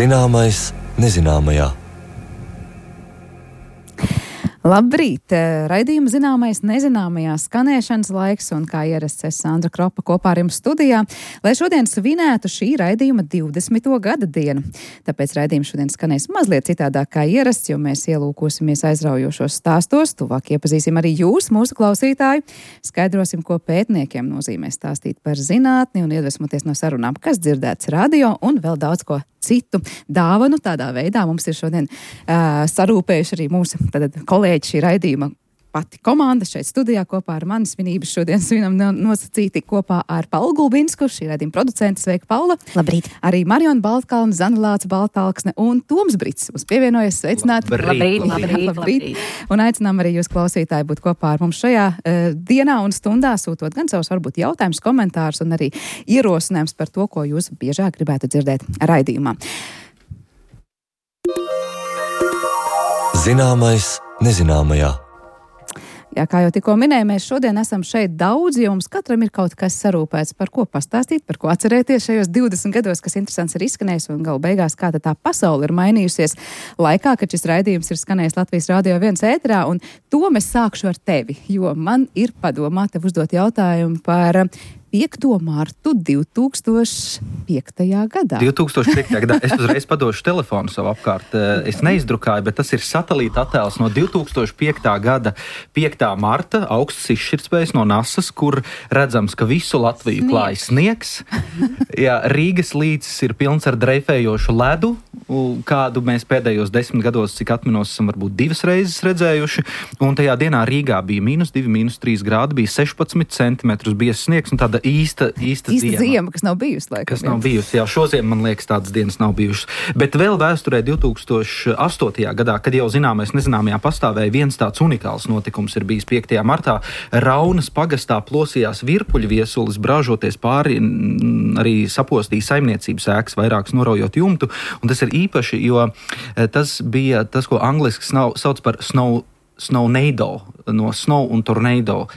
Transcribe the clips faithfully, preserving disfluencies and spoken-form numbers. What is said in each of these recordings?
Zināmais nezināmajā. Labrīt! Raidījuma Zināmais nezināmajā skanēšanas laiks, un kā ierasts es Sandra Kropa kopā ar jums studijā, lai šodien svinētu šī raidījuma divdesmito gada dienu. Tāpēc raidījums šodien skanēs mazliet citādāk kā ierasts, jo mēs ielūkosimies aizraujošos stāstos, tuvāk iepazīsim arī jūs, mūsu klausītāji, skaidrosim, ko pētniekiem nozīmē stāstīt par zinātni un iedvesmoties no sarunām, kas dzirdēts radio, un vēl daudz ko citu dāvanu. Tādā veidā mums ir šodien uh, sarūpējuši arī mūsu tātad, kolēģi šī raidījuma pati komanda šeit studijā kopā ar mani svinības. Šodien svinam nosacīti kopā ar Paulu Gulbinsku, šī raidījuma producente. Sveika, Paula! Labrīt! Arī Mariona Baltkalna, Zanelāca Baltalksne un Toms Brits mums pievienojas. Sveicināti! Labrīt! Labrīt! Labrīt! Labrīt! Un aicinām arī jūs klausītāji būt kopā ar mums šajā uh, dienā un stundā, sūtot gan savus varbūt jautājumus, komentārus un arī ierosinājums par to, ko jūs biežāk gribētu dzirdēt raidījumā. Zināmais nezināmajā. Jā, kā jau tikko minēju, mēs šodien esam šeit daudz, jo mums katram ir kaut kas sarūpēts, par ko pastāstīt, par ko atcerēties šajos divdesmit gados, kas interesants ir izskanējis, un galu beigās kā tā pasaule ir mainījusies laikā, kad šis raidījums ir skanējis Latvijas Radio viens ēterā, un to mēs sākšu ar tevi, jo man ir padomā tev uzdot jautājumu par piekto martu divi tūkstoši piektajā gadā. divi tūkstoši piektajā gadā. Es uzreiz padošu telefonu savu apkārt. Es neizdrukāju, bet tas ir satelīta attēls no divi tūkstoši piektā gada piektā marta, augsts izšķirtspējas no NASAs, kur redzams, ka visu Latviju klāj sniegs. Jā, Rīgas līcis ir pilns ar dreifējošu ledu, kādu mēs pēdējos desmit gados, cik atminos, esam varbūt divas reizes redzējuši. Un tajā dienā Rīgā bija mīnus divi, mīnus trīs grādi, bija sešpadsmit centimetrus biezs sniegs un tāda īsta, īsta, īsta ziema. ziema, kas nav bijusi laikam. Kas nav bijusi, jā, šoziem, man liekas, tādas dienas nav bijušas. Bet vēl vēsturē divi tūkstoši astotajā gadā, kad jau zināmais nezināmajā pastāvēja, viens tāds unikāls notikums ir bijis piektajā martā. Raunas pagastā plosījās virpuļu viesulis, brāžoties pāri, arī sapostīja saimniecības ēkas, vairākas noraujot jumtu. Un tas ir īpaši, jo tas bija tas, ko angliski sauc par snow Snownedo, no snow un tornado.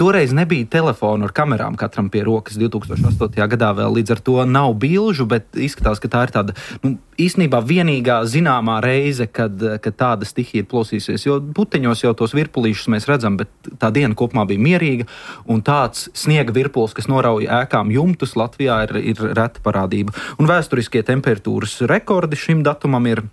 Toreiz nebija telefonu ar kamerām katram pie rokas. divi tūkstoši astotajā gadā vēl līdz ar to nav bilžu, bet izskatās, ka tā ir tāda, nu, īstenībā vienīgā zināmā reize, kad, kad tāda stihija ir plosīsies. Jo puteņos jau tos virpulīšus mēs redzam, bet tā diena kopumā bija mierīga, un tāds sniega virpuls, kas norauja ēkām jumtus, Latvijā ir, ir reta parādība. Un vēsturiskie temperatūras rekordi šim datumam ir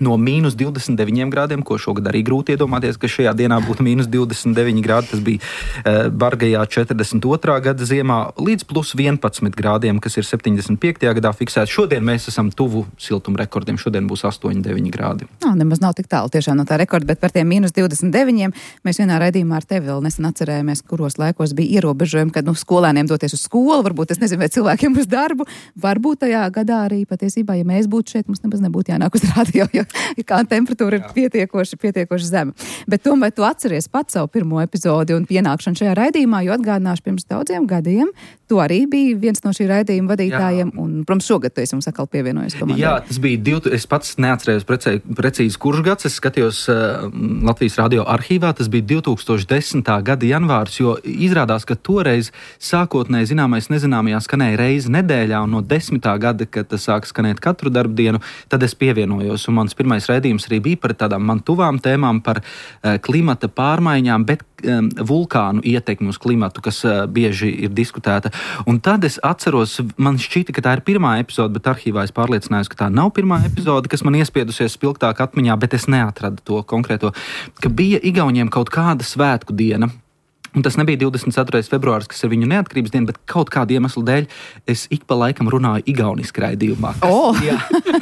no mīnus divdesmit deviņiem grādiem, ko šogad arī grūti iedomāties, ka šajā dienā būtu mīnus divdesmit deviņi grādi. Tas bija e, bargajā četrdesmit otrā gada ziemā, līdz plus vienpadsmit grādiem, kas ir septiņdesmit piektajā gadā fiksēts. Šodien mēs esam tuvu siltuma rekordiem. Šodien būs astoņi deviņi grādi. Nā, nemaz nav tik tālu tiešām no tā rekorda, bet par tiem mīnus divdesmit deviņiem mēs vienā raidījumā ar tevi vēl nesen atcerējāmies, kuros laikos bija ierobežojumi, kad nu, skolēniem doties uz skolu, varbūt es nezinu, vai cilvēkiem uz darbu. Varbūt tajā gadā arī patiesībā, ja mēs būtu šeit, mums nemaz nebūtu jānāk uz radio, jo kā temperatūra ir pietiekoši, pietiekoši zema. Bet tomēr tu atceries pats savu pirmo epizodi un pienākšanu šajā raidījumā, jo atgādināšu pirms daudziem gadiem, tu arī biji viens no šī raidījuma vadītājiem, jā. Un, protams, šogad tu esi mums atkal pievienojies komandai. Jā, tas bija div, es pats neatcerējos precē, precīzi kurš gads, es skatījos uh, Latvijas radio arhīvā, tas bija divi tūkstoši desmitā gada janvārs, jo izrādās, ka toreiz sākotnēji zināmais nezināmajā skanēja reizi nedēļā, un no desmitā gada, kad tas sāk skanēt katru darbdienu, tad es pievienojos, un mans pirmais raidījums arī bija par tādām man tuvām tēmām, par uh, klimata pārmaiņām, bet um, vulkānu ietekmi uz klimatu, kas uh, bieži ir diskutēta. Un tad es atceros, man šķita, ka tā ir pirmā epizode, bet arhīvā es pārliecinājos, ka tā nav pirmā epizode, kas man iespiedusies spilgtāk atmiņā, bet es neatradu to konkrēto, ka bija Igauniem kaut kāda svētku diena. Un tas nebija divdesmit ceturtais februāris, kas ir viņu neatkarības diena, bet kaut kādu iemeslu dēļ es ik pa laikam runāju igauniski raidījumā. O, oh,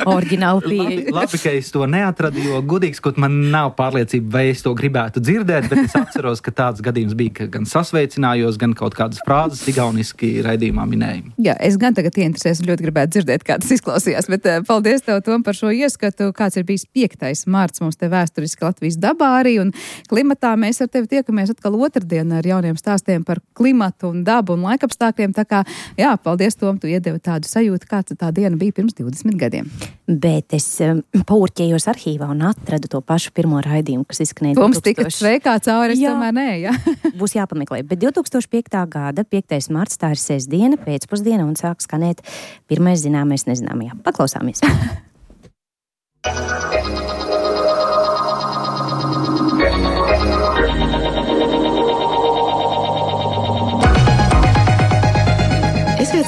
oriģināli pieeja. Labi, labi, ka es to neatradu, jo godīgs, kaut man nav pārliecība, vai es to gribētu dzirdēt, bet es atceros, ka tāds gadījums bija, ka gan sasveicinājos, gan kaut kādas frāzes igauniski raidījumā minēju. Jā, es gan tagad ieinteresēs un ļoti gribētu dzirdēt, kā tas izklausījās, bet uh, paldies tev, Tom, par šo ieskatu, kāds ir bijis piektais marts mums te vēsturiski Latvijas dabā arī, un klimatā mēs ar tevi tiekamies atkal otrdien ar jauniem stāstiem par klimatu un dabu un laikapstākļiem. Tā kā, jā, paldies, Tom, tu iedevi tādu sajūtu, kāds tā diena bija pirms divdesmit gadiem. Bet es um, paurķējos arhīvā un atradu to pašu pirmo raidījumu, kas izskanēja Toms tika sveikā cauri, es tomēr nē, jā. Būs jāpameklē. Bet divi tūkstoši piektā gada piektais marts, tā ir sestdiena, pēcpusdiena un sāk skanēt pirmais zināmais nezināmajā. Paklausāmies.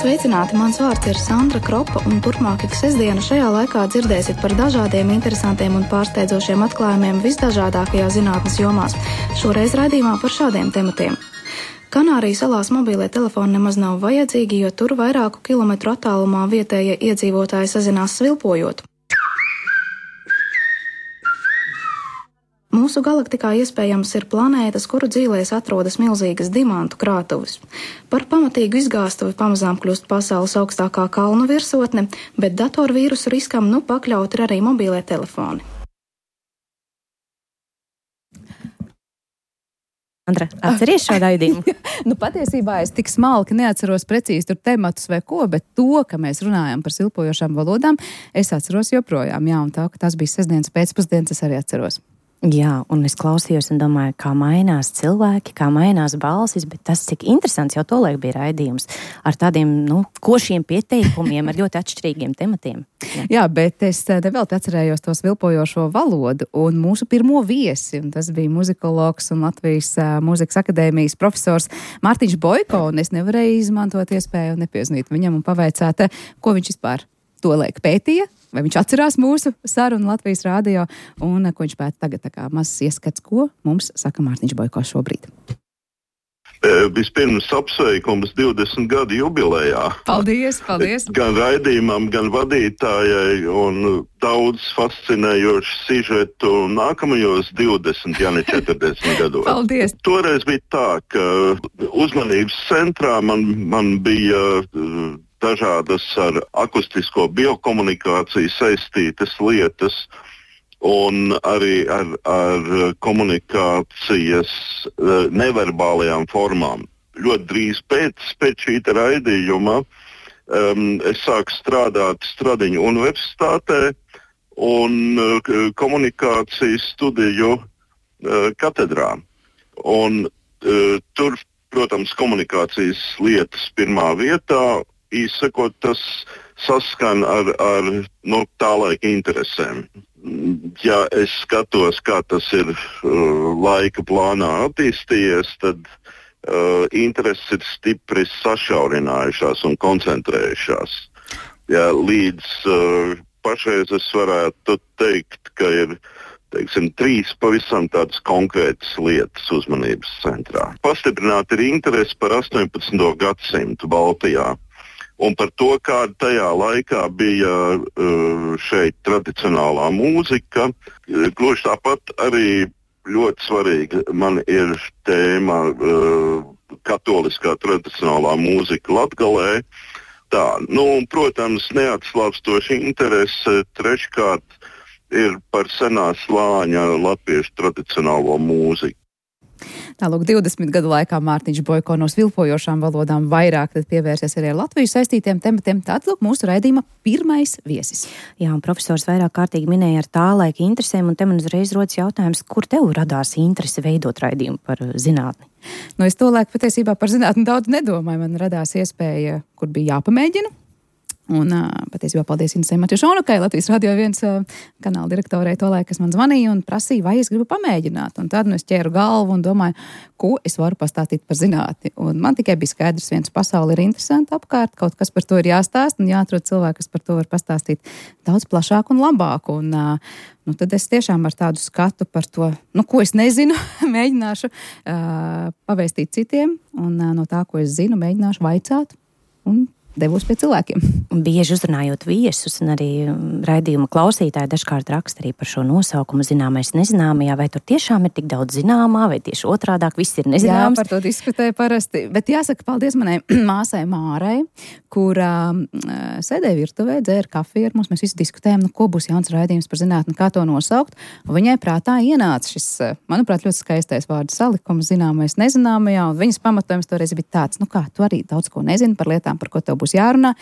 Esiet sveicināti, mans vārds ir Sandra Kropa, un turpmāk ik sestdienu šajā laikā dzirdēsiet par dažādiem interesantiem un pārsteidzošiem atklājumiem visdažādākajās zinātnes jomās. Šoreiz raidījumā par šādiem tematiem. Kanāriju salās mobīlie telefoni nemaz nav vajadzīgi, jo tur vairāku kilometru attālumā vietējie iedzīvotāji sazinās svilpojot. Mūsu galaktikā iespējams ir planētas, kuru dzīvēs atrodas milzīgas dimantu krātuves. Par pamatīgu izgāstuvi pamazām kļūst pasaules augstākā kalnu virsotne, bet datorvīrusu riskam nu pakļaut ir arī mobīlie telefoni. Andra, atceries šo raidījumu? Nu, patiesībā es tik smalki neatceros precīzi tur tematus vai ko, bet to, ka mēs runājam par svilpojošām valodām, es atceros joprojām. Jā, un tā, ka tas bija sestdienas pēcpusdienas, es arī atceros. Jā, un es klausījos un domāju, kā mainās cilvēki, kā mainās balsis, bet tas, cik interesants jau tolaik bija raidījums ar tādiem, nu, košiem pieteikumiem, ar ļoti atšķirīgiem tematiem. Jā, Jā bet es nevēl atcerējos to svilpojošo valodu un mūsu pirmo viesi, un tas bija muzikologs un Latvijas uh, Mūzikas akadēmijas profesors Mārtiņš Boiko, un es nevarēju izmantot iespēju un nepieznīt viņam un pavaicāt, ko viņš vispār tolaik pētīja, vai viņš atcerās mūsu sarunu Latvijas rādio, un ko viņš pēta tagad, tā kā mazs ieskats, ko mums saka Mārtiņš Boiko šobrīd. Vispirms apsveikums divdesmit gadu jubilejā. Paldies, paldies! Gan raidījumam, gan vadītājai, un daudz fascinējošu sižetu nākamajos divdesmit, ja ne četrdesmit gados. Paldies! Toreiz bija tā, ka uzmanības centrā man, man bija dažādas ar akustisko biokomunikāciju saistītas lietas un arī ar, ar komunikācijas neverbālajām formām. Ļoti drīz pēc, pēc šī raidījuma um, es sāku strādāt Stradiņu universitātē un uh, komunikācijas studiju uh, katedrā. Un uh, tur, protams, komunikācijas lietas pirmā vietā. Īsakot, tas saskan ar, ar no tā laika interesēm. Ja es skatos, kā tas ir uh, laika plānā attīstījies, tad uh, intereses ir stipri sašaurinājušās un koncentrējušās. Ja, līdz uh, pašreiz es varētu teikt, ka ir teiksim, trīs pavisam tādas konkrētas lietas uzmanības centrā. Pastiprināti ir interesi par astoņpadsmito gadsimtu Baltijā. Un par to, kāda tajā laikā bija uh, šeit tradicionālā mūzika. Gluži tāpat arī ļoti svarīga man ir tēma uh, katoliskā tradicionālā mūzika Latgalē. Tā, nu, un, protams, neatslāpstoša interese treškārt ir par senā slāņa latviešu tradicionālo mūziku. Tālūk, divdesmit gadu laikā Mārtiņš Boiko no svilpojošām valodām vairāk pievērsies arī ar Latviju saistītiem tematiem. Tātad, lūk, mūsu raidījuma pirmais viesis. Jā, un profesors vairāk kārtīgi minēja ar tā laika interesēm, un te man uzreiz rodas jautājums, kur tev radās interese veidot raidījumu par zinātni? Nu, es to laiku patiesībā par zinātni daudz nedomāju. Man radās iespēja, kur bija jāpamēģina. Un patiesībā paldies Inesei Matjušonukai, Latvijas radio viens kanāla direktorei tolaik, kas man zvanīja un prasīja, vai es gribu pamēģināt. Un tad nu, es ķēru galvu un domāju, ko es varu pastāstīt par zinātni. Un man tikai bija skaidrs, viens pasauli ir interesanti apkārt, kaut kas par to ir jāstāst un jāatrod cilvēki, kas par to var pastāstīt daudz plašāk un labāk. Un nu, tad es tiešām ar tādu skatu par to, nu, ko es nezinu, mēģināšu uh, pavēstīt citiem un uh, no tā, ko es zinu, mēģināšu vaicāt un devos pie cilvēkiem. Bieži uzrunājot viesus un arī raidījuma klausītāji dažkārt raksta arī par šo nosaukumu zināmais nezināmajā, vai tur tiešām ir tik daudz zināmā, vai tieši otrādāk viss ir nezināms. Jā, par to diskutēju parasti, bet jāsaka paldies manai māsai Mārai, kurā uh, sēdēja virtuvē, dzēra kafiju ar mums, mēs visi diskutējam, nu, ko būs jauns raidījums par zinātni, kā to nosaukt, un viņai prātā ienāca šis, manuprāt, ļoti skaistais vārdu salikums zināmais nezināmajā, un viņas pamatojums toreiz bija tāds, nu kā, tu arī daudz ko nezini par lietām, par ko tev būs jārunā.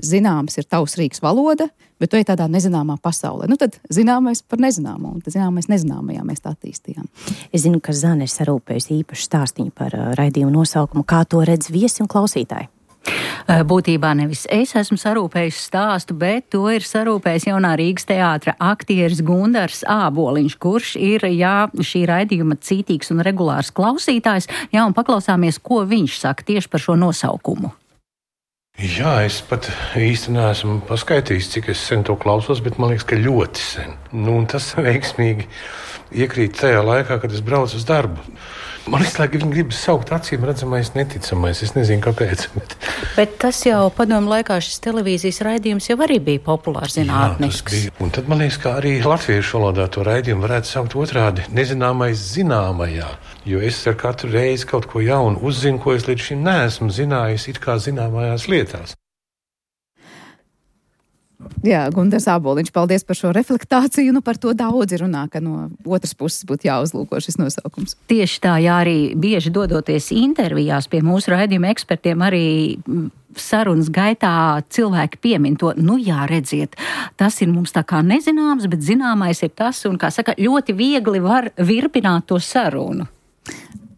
Zināms ir tavs rīks valoda, bet tu ej tādā nezināmā pasaulē. Nu tad zināmais par nezināmo, un tad zināmais nezināmajā mēs tā attīstījām. Es zinu, ka Zane ir sarūpējusi īpašu stāstiņu par uh, raidījumu nosaukumu. Kā to redz viesi un klausītāji? Būtībā nevis es esmu sarūpējis stāstu, bet to ir sarūpējis jaunā Rīgas teātra aktieris Gundars Āboliņš, kurš ir, jā, šī raidījuma cītīgs un regulārs klausītājs. Jā, un paklausāmies, ko viņš saka tieši par šo nosaukumu. Jā, es pat īsti neesmu paskaitījis, cik es sen to klausos, bet man liekas, ka ļoti sen. Nu, un tas veiksmīgi iekrīt tajā laikā, kad es braucu uz darbu. Man liekas, ka viņi grib saukt acīm redzamais, neticamais. Es nezinu, kāpēc. Bet, bet tas jau padomu laikā šis televīzijas raidījums jau arī bija populārs zinātnisks. Jā, un tad man liekas, ka arī latviešu valodā to raidījumu varētu saukt otrādi - nezināmais zināmajā. Jo es ar katru reizi kaut ko jaunu uzzinu, ko es līdz šim neesmu zinājis, it kā zināmajās lietās. Jā, Gundars Āboliņš, paldies par šo reflektāciju. Nu, par to daudzi runā, ka no otras puses būtu jāuzlūko šis nosaukums. Tieši tā, jā, arī bieži dodoties intervijās pie mūsu raidījuma ekspertiem, arī sarunas gaitā cilvēki piemin to, nu jā, redziet, tas ir mums tā kā nezināms, bet zināmais ir tas, un, kā saka, ļoti viegli var virpināt to sarunu.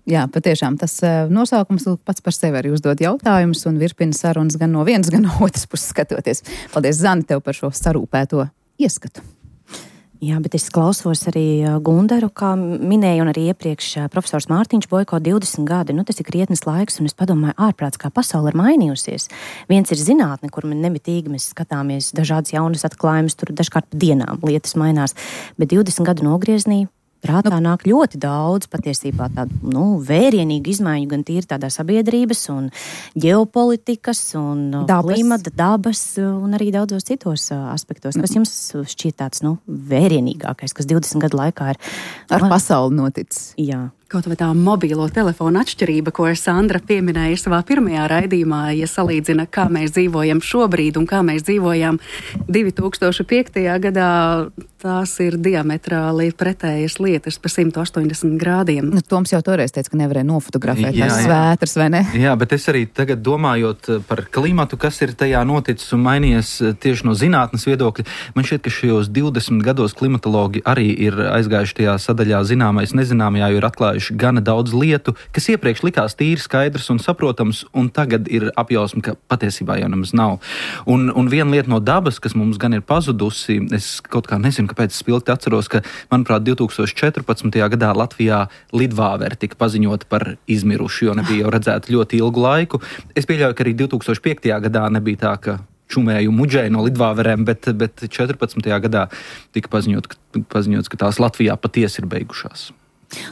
Jā, patiešām tas nosaukums pats par sevi arī uzdod jautājumus un virpina sarunas gan no vienas, gan no otras puses skatoties. Paldies, Zani, tev par šo sarūpēto ieskatu. Jā, bet es klausos arī Gundaru, kā minēju, un arī iepriekš profesors Mārtiņš Boiko divdesmit gadi. Nu, tas ir krietnes laiks, un es padomāju, ārprāts, kā pasaule ir mainījusies. Viens ir zinātne, kur man nemitīgi mēs skatāmies dažādas jaunas atklājumus, tur dažkārt pa dienām lietas mainās, bet divdesmit gadu nogrieznī prātā nu, nāk ļoti daudz patiesībā tādu, nu, vērienīgu izmaiņu gan tīri tādā sabiedrības un ģeopolitikas un dabas. Klimata, dabas un arī daudzos citos aspektos. Kas jums šķiet tāds, nu, vērienīgākais, kas divdesmit gadu laikā ir ar man... pasauli noticis? Jā. Kaut vai tā mobilo telefonu atšķirība, ko Sandra pieminēja savā pirmajā raidījumā, ja salīdzina, kā mēs dzīvojam šobrīd un kā mēs dzīvojām divi tūkstoši piektajā gadā, tās ir diametrāli pretējas lietas pa simt astoņdesmit grādiem. Nu, Toms jau toreiz teica, ka nevarēja nofotografēt tās svētras, vai ne? Jā, bet es arī tagad domājot par klimatu, kas ir tajā noticis un mainījies tieši no zinātnes viedokļa, man šķiet, ka šajos divdesmit gados klimatologi arī ir aizgājuši tajā sadaļā zināmais nezināmajā, jo ir atklājuši gana daudz lietu, kas iepriekš likās tīri skaidrs un saprotams, un tagad ir apjausma, ka patiesībā jau nemaz nav. Un, un viena lieta no dabas, kas mums gan ir pazudusi, es kaut kā nezinu, kāpēc es spilgti atceros, ka, manuprāt, divi tūkstoši četrpadsmitajā gadā Latvijā lidvāveri tika paziņot par izmiruši, jo nebija jau redzēta ļoti ilgu laiku. Es pieļauju, ka arī divi tūkstoši piektajā gadā nebija tā, ka čumēju muģēju no lidvāverēm, bet, bet četrpadsmitajā gadā tika paziņot, ka, paziņots, ka tās Latvijā patiesi ir beigušās.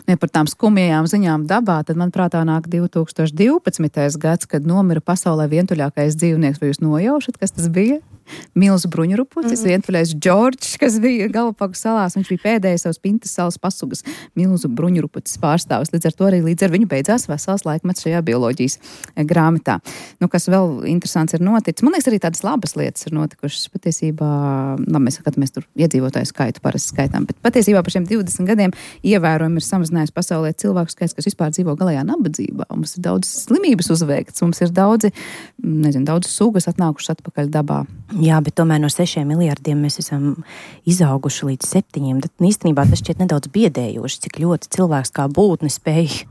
Ja par tām skumjajām ziņām dabā, tad man prātā nāk divi tūkstoši divpadsmitais gads, kad nomira pasaulē vientuļākais dzīvnieks. Vai jūs nojaušat, kas tas bija? Milzu bruņurupucis, mm. vientuļais Džordžs, kas bija Galapagu salās. Viņš bija pēdējais savas Pintas salas pasugas milzu bruņurupucis pārstāvis. Līdz ar to arī līdz ar viņu beidzās vesels laikmets šajā bioloģijas grāmatā. Nu, kas vēl interesants ir noticis. Man liekas, arī tādas labas lietas ir notikušas. Patiesībā, labi, mēs skatāmies tur iedzīvotāju skaitu parasti skaitām, bet patiesībā par šiem divdesmit gadiem ievērojami ir samazinājis pasaulē cilvēku skaits, kas vispār dzīvo galējā nabadzībā. Mums ir daudz slimības uzveikts, mums ir daudzi, nezinu, daudz sugas atnākušas atpakaļ dabā. Jā, bet tomēr no sešiem miljardiem mēs esam izauguši līdz septiņiem. Tad īstenībā tas šķiet nedaudz biedējoši, cik ļoti cilvēks kā būtne spēj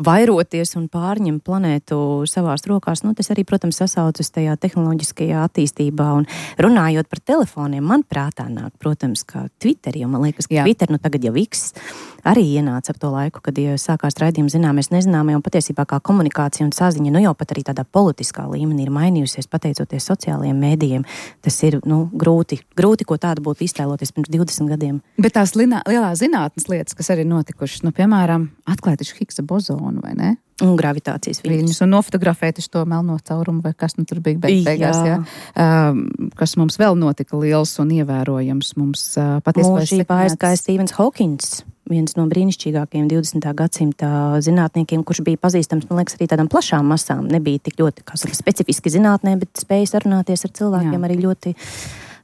vairoties un pārņemt planētu savās rokās. Nu, tas arī, protams, sasaucas tajā tehnoloģiskajā attīstībā. Un runājot par telefoniem, man prātā nāk, protams, kā Twitter, jo man liekas, ka Jā. Twitter, nu tagad jau X, arī ienāca ap to laiku, kad ja sākās raidījums zināmies nezināmie, un patiesībā kā komunikācija un saziņa, nu jau pat arī tādā politiskā līmenī ir mainījusies pateicoties sociālajiem mēdījiem. Tas ir, nu, grūti, grūti, ko tādu būtu iztēloties pirms divdesmit gadiem. Bet tās linā, lielās zinātnes lietas, kas arī notikušas, nu, piemēram, atklāt taču Higgsa bozonu, vai ne? Un gravitācijas viļņus. Un nofotografēt to melno caurumu, vai kas nu tur bija beig, beigās, jā. jā. Um, kas mums vēl notika liels un ievērojams. Mums uh, patiesībā mūžībā aizgāja Stevens Hawkins, viens no brīnišķīgākajiem divdesmitā gadsimta zinātniekiem, kurš bija pazīstams, man liekas, arī tādām plašām masām. Nebija tik ļoti, kā saka, specifiski zinātnē, bet spēja sarunāties ar cilvēkiem jā. Arī ļoti...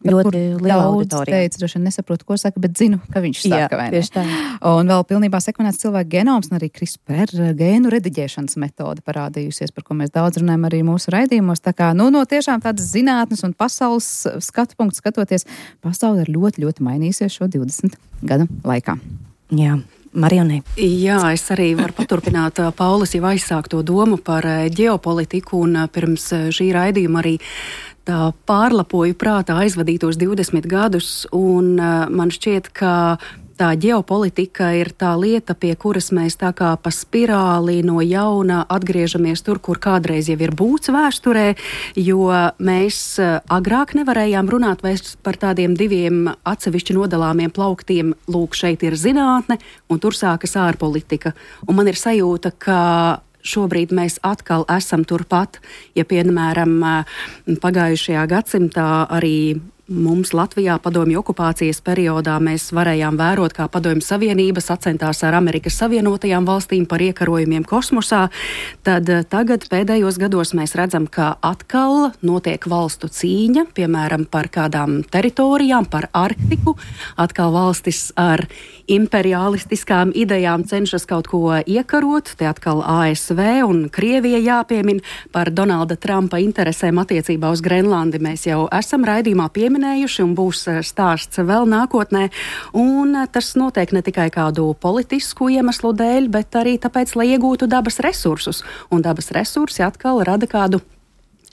ļoti liela auditorija. Teica, droši vien nesaprotu, ko saka, bet zinu, ka viņš saka, Jā, vai ne? Tieši tā. Un vēl pilnībā sekvenēts cilvēku genoms un arī CRISPR gēnu rediģēšanas metode parādījusies, par ko mēs daudz runājam arī mūsu raidījumos. Tā kā, nu, no tiešām tādas zinātnes un pasaules skatu punktu skatoties, pasaule ir ļoti, ļoti mainījusies šo divdesmit gadu laikā. Jā. Marionē. Jā, es arī varu paturpināt Paulas jau aizsākto domu par ģeopolitiku, un pirms šī raidījuma arī tā pārlapoju prātā aizvadītos divdesmit gadus, un man šķiet, ka tā ģeopolitika ir tā lieta, pie kuras mēs tā kā pa spirāli no jauna atgriežamies tur, kur kādreiz jau ir būts vēsturē, jo mēs agrāk nevarējām runāt vairs par tādiem diviem atsevišķi nodalāmiem plauktiem. Lūk, šeit ir zinātne, un tur sākas ārpolitika. Un man ir sajūta, ka šobrīd mēs atkal esam turpat, ja piemēram pagājušajā gadsimtā arī mums Latvijā padomju okupācijas periodā mēs varējām vērot, kā padomju savienība sacentās ar Amerikas Savienotajām valstīm par iekarojumiem kosmosā, tad tagad pēdējos gados mēs redzam, ka atkal notiek valstu cīņa, piemēram, par kādām teritorijām, par Arktiku, atkal valstis ar imperialistiskām idejām cenšas kaut ko iekarot, te atkal A S V un Krievija jāpiemin par Donalda Trumpa interesēm attiecībā uz Grenlandi. Mēs jau esam raidījumā pieminējuši un būs stāsts vēl nākotnē. Un tas notiek ne tikai kādu politisku iemeslu dēļ, bet arī tāpēc, lai iegūtu dabas resursus. Un dabas resursi atkal rada kādu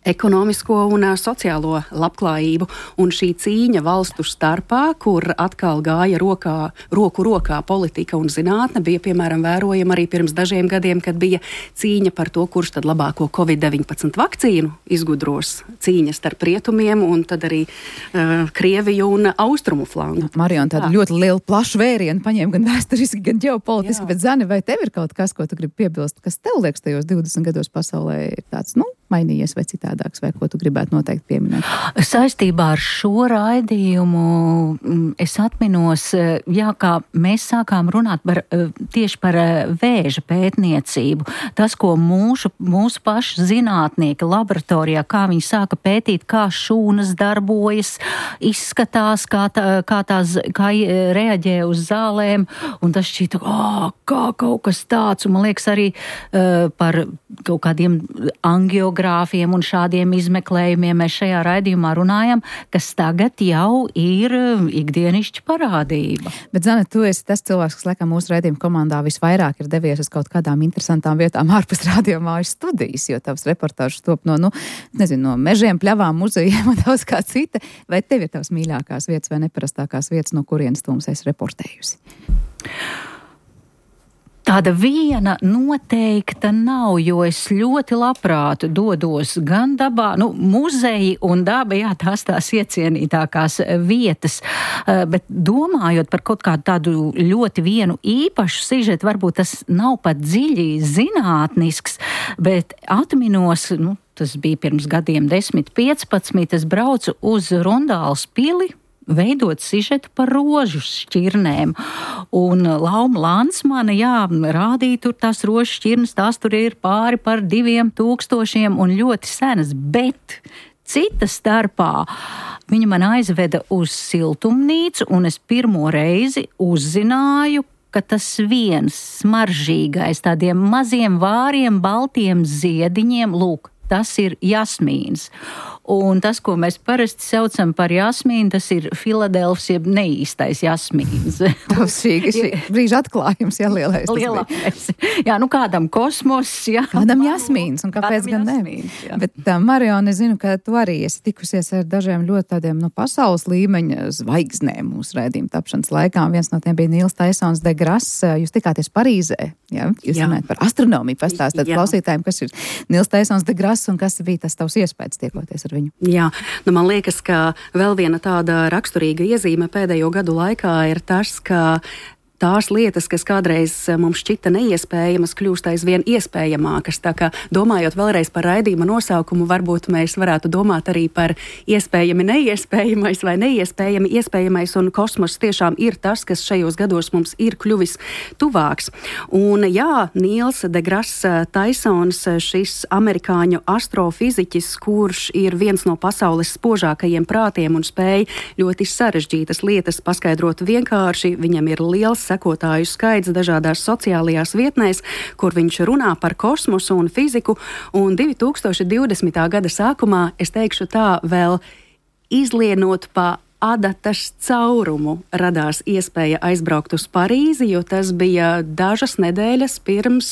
ekonomisko un sociālo labklājību. Un šī cīņa valstu starpā, kur atkal gāja rokā, roku rokā politika un zinātne, bija piemēram vērojama arī pirms dažiem gadiem, kad bija cīņa par to, kurš tad labāko covid deviņpadsmit vakcīnu izgudros. Cīņa starp rietumiem un tad arī uh, Krieviju un austrumu flangu. Marion, tādu Jā. ļoti lielu plašu vērienu paņēma gan vēsturiski, gan ģeopolitiski, Jā. bet Zani, vai tev ir kaut kas, ko tu gribi piebilst, kas tev liekas tajos divdesmit gados pasaulē ir tāds, nu, mainījies vai citādāks, vai ko tu gribētu noteikti pieminēt? Saistībā ar šo raidījumu es atminos, jā, kā mēs sākām runāt par, tieši par vēža pētniecību. Tas, ko mūsu, mūsu paši zinātnieki laboratorijā, kā viņi sāka pētīt, kā šūnas darbojas, izskatās, kā, tā, kā tās kā reaģē uz zālēm, un tas šķita, oh, kā kaut kas tāds, un man liekas arī uh, par kaut kādiem angiogrāfiem un šādiem izmeklējumiem mēs šajā raidījumā runājam, kas tagad jau ir ikdienišķa parādība. Bet, Zane, tu esi tas cilvēks, kas laikam mūsu raidījuma komandā visvairāk ir devies uz kaut kādām interesantām vietām ārpus radiomājas studijas, jo tavs reportāžas top no, nu, nezinu, no mežiem, pļavām, muzejiem un daudz kā cita. Vai tev ir tavs mīļākās vietas vai neparastākās vietas, no kurienes tu mums esi reportējusi? Tāda viena noteikta nav, jo es ļoti labprāt dodos gan dabā, nu, muzeji un daba, jā, tās tās iecienītākās vietas, bet domājot par kaut kādu tādu ļoti vienu īpašu sižetu, varbūt tas nav pat dziļi zinātnisks, bet atminos, nu, tas bija pirms gadiem desmit, piecpadsmit, es braucu uz Rundāles pili, veidot sižetu par rožu šķirnēm. Un Lauma Lansmane, jā, rādīja tur tās rožu šķirnes, tās tur ir pāri par diviem tūkstošiem un ļoti senas, bet cita starpā viņa man aizveda uz siltumnīcu, un es pirmo reizi uzzināju, ka tas viens smaržīgais, tādiem maziem vāriem, baltiem ziediņiem, lūk, tas ir jasmīns. Un tas, ko mēs parasti saucam par jasmīnu, tas ir Filadelfs, jeb neīstais jasmīns. Tas šī, šī brīža atklājums, jā, lielais. Lielais. Jā, nu kādam kosmos, jā. Kādam jasmīns, un kāpēc gan ne? Bet, uh, Marion, es zinu, ka tu arī esi tikusies ar dažiem ļoti tādiem, nu, pasaules līmeņa zvaigznēm mūsu raidījuma tapšanas laikā. Viens no tiem bija Nils Taisons de Grasse. Jūs tikāties Parīzē, jā? Jūs runājat par astronomiju, pastāstāt klausītājiem, kas ir Nils Taisons de Grasse un kas bija tas tavs iespējas tiekoties ar viņu. Jā, nu man liekas, ka vēl viena tāda raksturīga iezīme pēdējo gadu laikā ir tas, ka tās lietas, kas kādreiz mums šķita neiespējamas, kļūst aizvien iespējamākas. Tā kā domājot vēlreiz par raidījuma nosaukumu, varbūt mēs varētu domāt arī par iespējami neiespējamais vai neiespējami iespējamais, un kosmos tiešām ir tas, kas šajos gados mums ir kļuvis tuvāks. Un jā, Nils de Grasse Taisons, šis amerikāņu astrofiziķis, kurš ir viens no pasaules spožākajiem prātiem un spēj ļoti sarežģītas lietas paskaidrot vienkārši, viņam ir liels sekotāju skaits dažādās sociālajās vietnēs, kur viņš runā par kosmosu un fiziku, un divi tūkstoši divdesmitā gada sākumā, es teikšu tā, vēl izlienot pa adatas caurumu radās iespēja aizbraukt uz Parīzi, jo tas bija dažas nedēļas pirms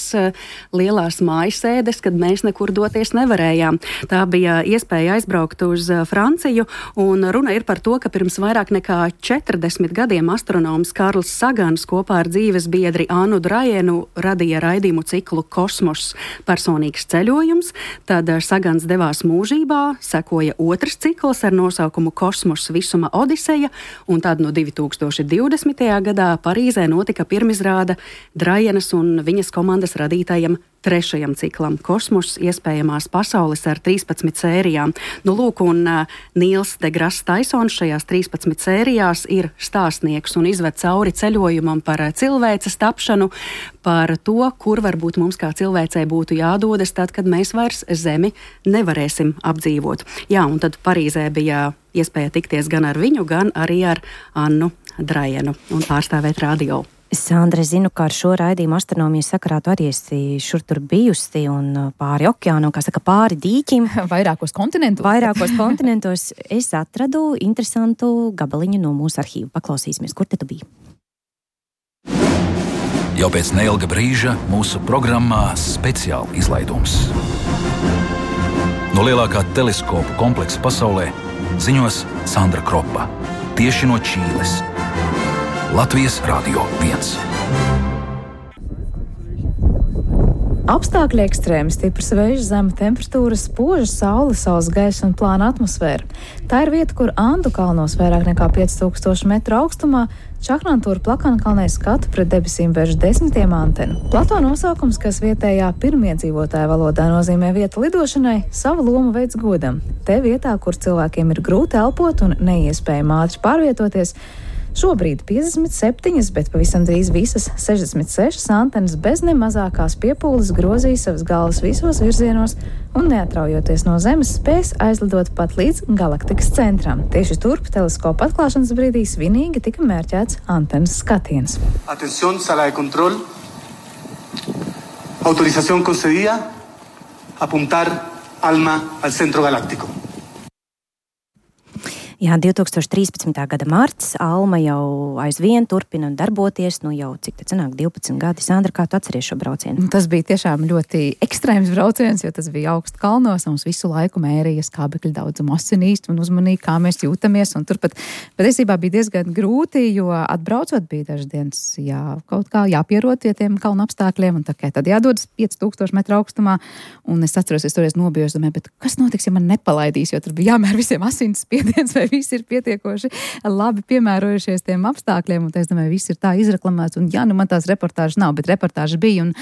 lielās mājasēdes, kad mēs nekur doties nevarējām. Tā bija iespēja aizbraukt uz Franciju, un runa ir par to, ka pirms vairāk nekā četrdesmit gadiem astronoms Karls Sagans kopā ar dzīves biedri Annu Drajenu radīja raidījumu ciklu Kosmos personīgs ceļojums. Tad Sagans devās mūžībā, sekoja otrs cikls ar nosaukumu Kosmos visuma Odiseja, un tad no divi tūkstoši divdesmitajā gadā Parīzē notika pirmizrāde Drajenas un viņas komandas radītajam trešajam ciklam Kosmos iespējamās pasaules ar trīspadsmit sērijām. Nu, lūk, un uh, Nils deGrasse Tysons šajās trīspadsmit sērijās ir stāstnieks un izved cauri ceļojumam par cilvēces tapšanu, par to, kur varbūt mums kā cilvēcei būtu jādodas tad, kad mēs vairs Zemi nevarēsim apdzīvot. Jā, un tad Parīzē bija iespēja tikties gan ar viņu, gan arī ar Annu Drajenu un pārstāvēt radio. Sandra, zinu, ka ar šo raidījumu astronomijas sakarā tu arī esi šur tur bijusi un pāri okeānu, kā saka, pāri dīķim. Vairākos kontinentos. Vairākos kontinentos. Es atradu interesantu gabaliņu no mūsu arhīva. Paklausīsimies, kur te tu biji? Jau pēc neilga brīža mūsu programmā speciāli izlaidums. No lielākā teleskopu kompleksa pasaulē ziņos Sandra Kropa. Tieši no Čīles. Latvijas Radio viens. Apstākļi ekstrēmi, stiprs vējš, zema temperatūra, spoža saule, saules gaisa un plāna atmosfēra. Tā ir vieta, kur Andu kalnos vairāk nekā pieci tūkstoši metru augstumā Čakrantūra Plakankalnē skatu pret debesīm vērš desmitiem antenu. Plato nosaukums, kas vietējā pirmiedzīvotāja valodā nozīmē vieta lidošanai, savu lomu veids godam. Te vietā, kur cilvēkiem ir grūti elpot un neiespējami ātri pārvietoties, šobrīd piecdesmit septiņas, bet pavisam drīz visas sešdesmit sešas antenas bez ne mazākās piepūles grozīja savas galvas visos virzienos un neatraujoties no Zemes spēs aizlidot pat līdz galaktikas centram. Tieši turp teleskopa atklāšanas brīdī svinīgi tika mērķēts antenas skatiens. Atención, sala de control. Autorización concedida. Apuntar ALMA al centro galáctico. Jā, divi tūkstoši trīspadsmitā gada marts, ALMA jau aizvien turpina darboties, nu jau cik te cenāk divpadsmit gadi. Sandra, kā tu atceries šo braucienu? Tas bija tiešām ļoti ekstrēms brauciens, jo tas bija augstu kalnos, un mums visu laiku mērīja skābekļa daudzumu asinīs un uzmanīja, kā mēs jūtamies, un turpat patiesībā bija diezgan grūti, jo atbraucot bija dažas dienas, jā, kaut kā jāpierod pie tiem kalnu apstākļiem, un tā kā tad jādodas pieci tūkstoši metru augstumā, un es atceros, es toreiz nobijos, domāju, bet kas notiks, ja man nepalaidīs, jo tur bija jāmēr visiem asins spiediens, vai visi ir pietiekoši labi piemērojušies tiem apstākļiem, un es domāju, viss ir tā izreklamēts, un jā, nu man tās reportāžas nav, bet reportāža bija, un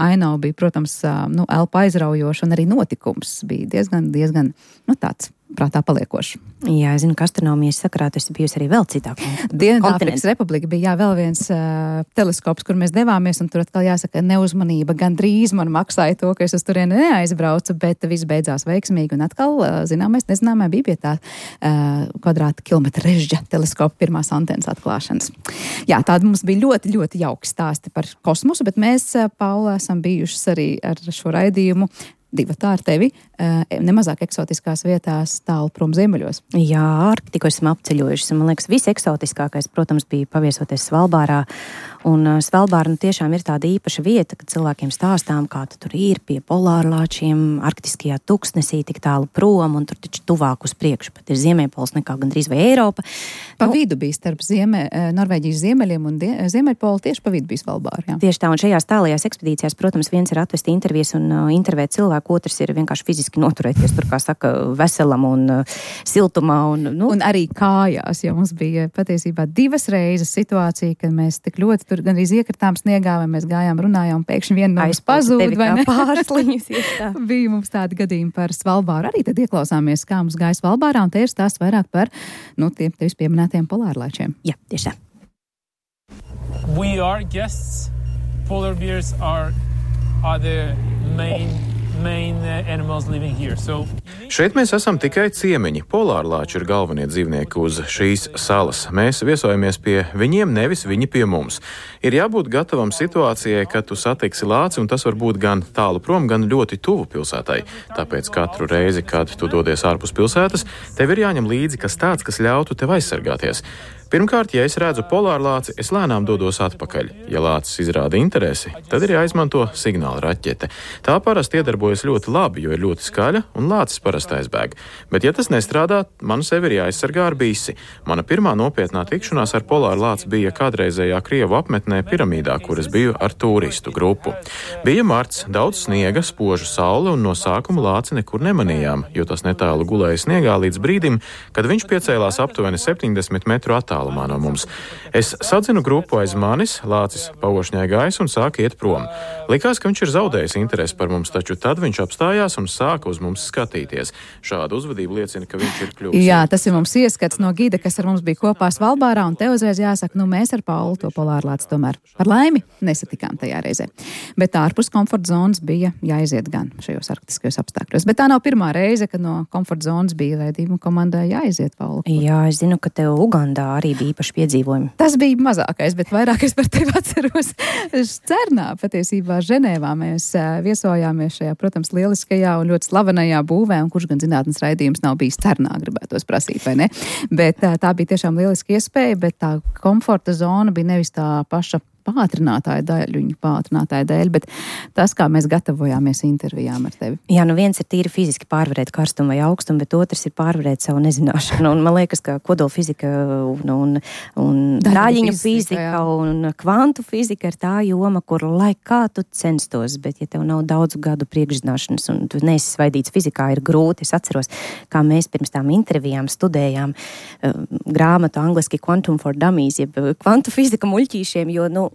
aino bija, protams, nu, elpa aizraujoša, un arī notikums bija diezgan, diezgan, nu tāds prātā paliekoši. Jā, es zinu, ka astronomijas sakarā tu esi bijusi arī vēl citā Dienvidāfrikas Republika bija jā, vēl viens uh, teleskops, kur mēs devāmies, un tur atkal jāsaka neuzmanība, gan drīz man maksāja to, ka es uz turieni neaizbraucu, bet viss beidzās veiksmīgi, un atkal, uh, zināmais, nezināmai bija pie tā uh, kvadrāta kilometra režģa teleskopa pirmās antenas atklāšanas. Jā, tāda mums bija ļoti, ļoti jauki stāsti par kosmosu, bet mēs, uh, Paula, esam bijušas arī ar šo raidījumu divatā ar tevi, nemazāk eksotiskās vietās tālu prom ziemeļos. Jā, Arktiku esam apceļojušas. Man liekas, viss eksotiskākais, protams, bija paviesoties Svalbārā. Un Svalbāra nu, tiešām ir tāda īpaša vieta, kad cilvēkiem stāstām, kā tu tur ir pie polārlāčiem, arktiskajā tuksnesī tik tālu prom, un tur taču tuvāk uz priekšu pat ir Ziemeļpols nekā gandrīz vai Eiropa. Pa nu, vidu bija starp Zieme, Norvēģijas ziemeļiem un die, Ziemeļpolu, tieši pa vidu bija Svalbāra. Jā. Tieši tā, un šajās tālajās ekspedīcijās, protams, viens ir atvest intervijas un uh, intervēt cilvēku, otrs ir vienkārši fiziski noturēties tur, kā saka, veselam un uh, siltumā. Un, nu. un arī kājās, jo mums bija patiesībā divas reizes situācija, kad mēs tik ļoti tur gan arī iekritām sniegā, vai mēs gājām, runājām, pēkšņi viena no mums pazūd, vai ne? Pārsliņas, bija mums tādi gadījumi par Svalbāru. Arī tad ieklausāmies, kā mums gāja Svalbārā, un te ir stāsts vairāk par, nu, tiem tevis pieminētiem polārlaičiem. Jā, tieši tā. We are guests. Polar bears are, are the main main uh, animals living here. So Šeit mēs esam tikai ciemiņi. Polārlāči ir galvenie dzīvnieki uz šīs salas. Mēs viesojamies pie viņiem, nevis viņi pie mums. Ir jābūt gatavam situācijai, kad tu satiksi lāci, un tas var būt gan tālu prom, gan ļoti tuvu pilsētai. Tāpēc katru reizi, kad tu dodies ārpus pilsētas, tev ir jāņem līdzi kas tāds, kas ļautu tev aizsargāties. Pirmkārt, ja es redzu polārlāci, es lēnām dodos atpakaļ. Ja lācis izrāda interesi, tad ir jāizmanto signāla raķete. Tā parasti iedarbojas ļoti labi, jo ir ļoti skaļa un lācis parasti aizbēg. Bet, ja tas nestrādā, man sevi ir jāaizsargā ar bisi. Mana pirmā nopietnā tikšanās ar polārlāci bija kādreizējā Krievu apmetnē Piramīdā, kur es biju ar turistu grupu. Bija marts, daudz sniega, spoža saule, un no sākuma lāci nekur nemanījām, jo tas netālu gulēja sniegā līdz brīdim, kad viņš piecēlās aptuveni septiņdesmit metru attālumā no mums. Es sadzinu grupu aiz manis, lācis paošņāja gaisu un sāka iet prom. Likās, ka viņš ir zaudējis interesi par mums, taču tad viņš apstājās un sāka uz mums skatīties. Šāda uzvedība liecina, ka viņš ir kļuvis. Jā, tas ir mums ieskats no gida, kas ar mums bija kopā Svalbārā, un te uzreiz jāsaka, nu mēs ar Paulu to polārlāci tomēr par laimi nesatikām tajā reizē. Bet ārpus komforta zonas bija jāiziet gan šajos arktiskajos apstākļos. Bet tā nav pirmā reize, kad no komforta zonas bija raidījuma komandai jāiziet, Paula. Jā, es zinu, ka tev Ugandā arī bija īpaši piedzīvojumi. Tas bija mazākais, bet vairāk es par tevi atceros. Cernā, patiesībā Ženēvā mēs viesojāmies šajā, protams, lieliskajā un ļoti slavenajā būvē, un kurš gan zinātnes raidījums nav bijis Cernā, gribētos prasīt, vai ne? Bet tā bija tiešām lieliski iespēja, bet tā komforta zona bija nevis tā paša pātrinātāja daļuņu pātrinātāja dēļ, bet tas, kā mēs gatavojāmies intervijām ar tevi. Jā, nu viens ir tīri fiziski pārvarēt karstumu vai augstumu, bet otrs ir pārvarēt savu nezināšanu. Un man liekas, ka kodolfizika un, un, un daļiņu fizika un kvantu fizika ir tā joma, kur lai kā tu censtos, bet ja tev nav daudzu gadu priekšzināšanas un tu neesi svaidīts fizikā, ir grūti. Es atceros, kā mēs pirms tām intervijām studējām uh, grāmatu angliski Quantum for Dummies, jeb kvantu fizika muļķīšiem, jo, nu,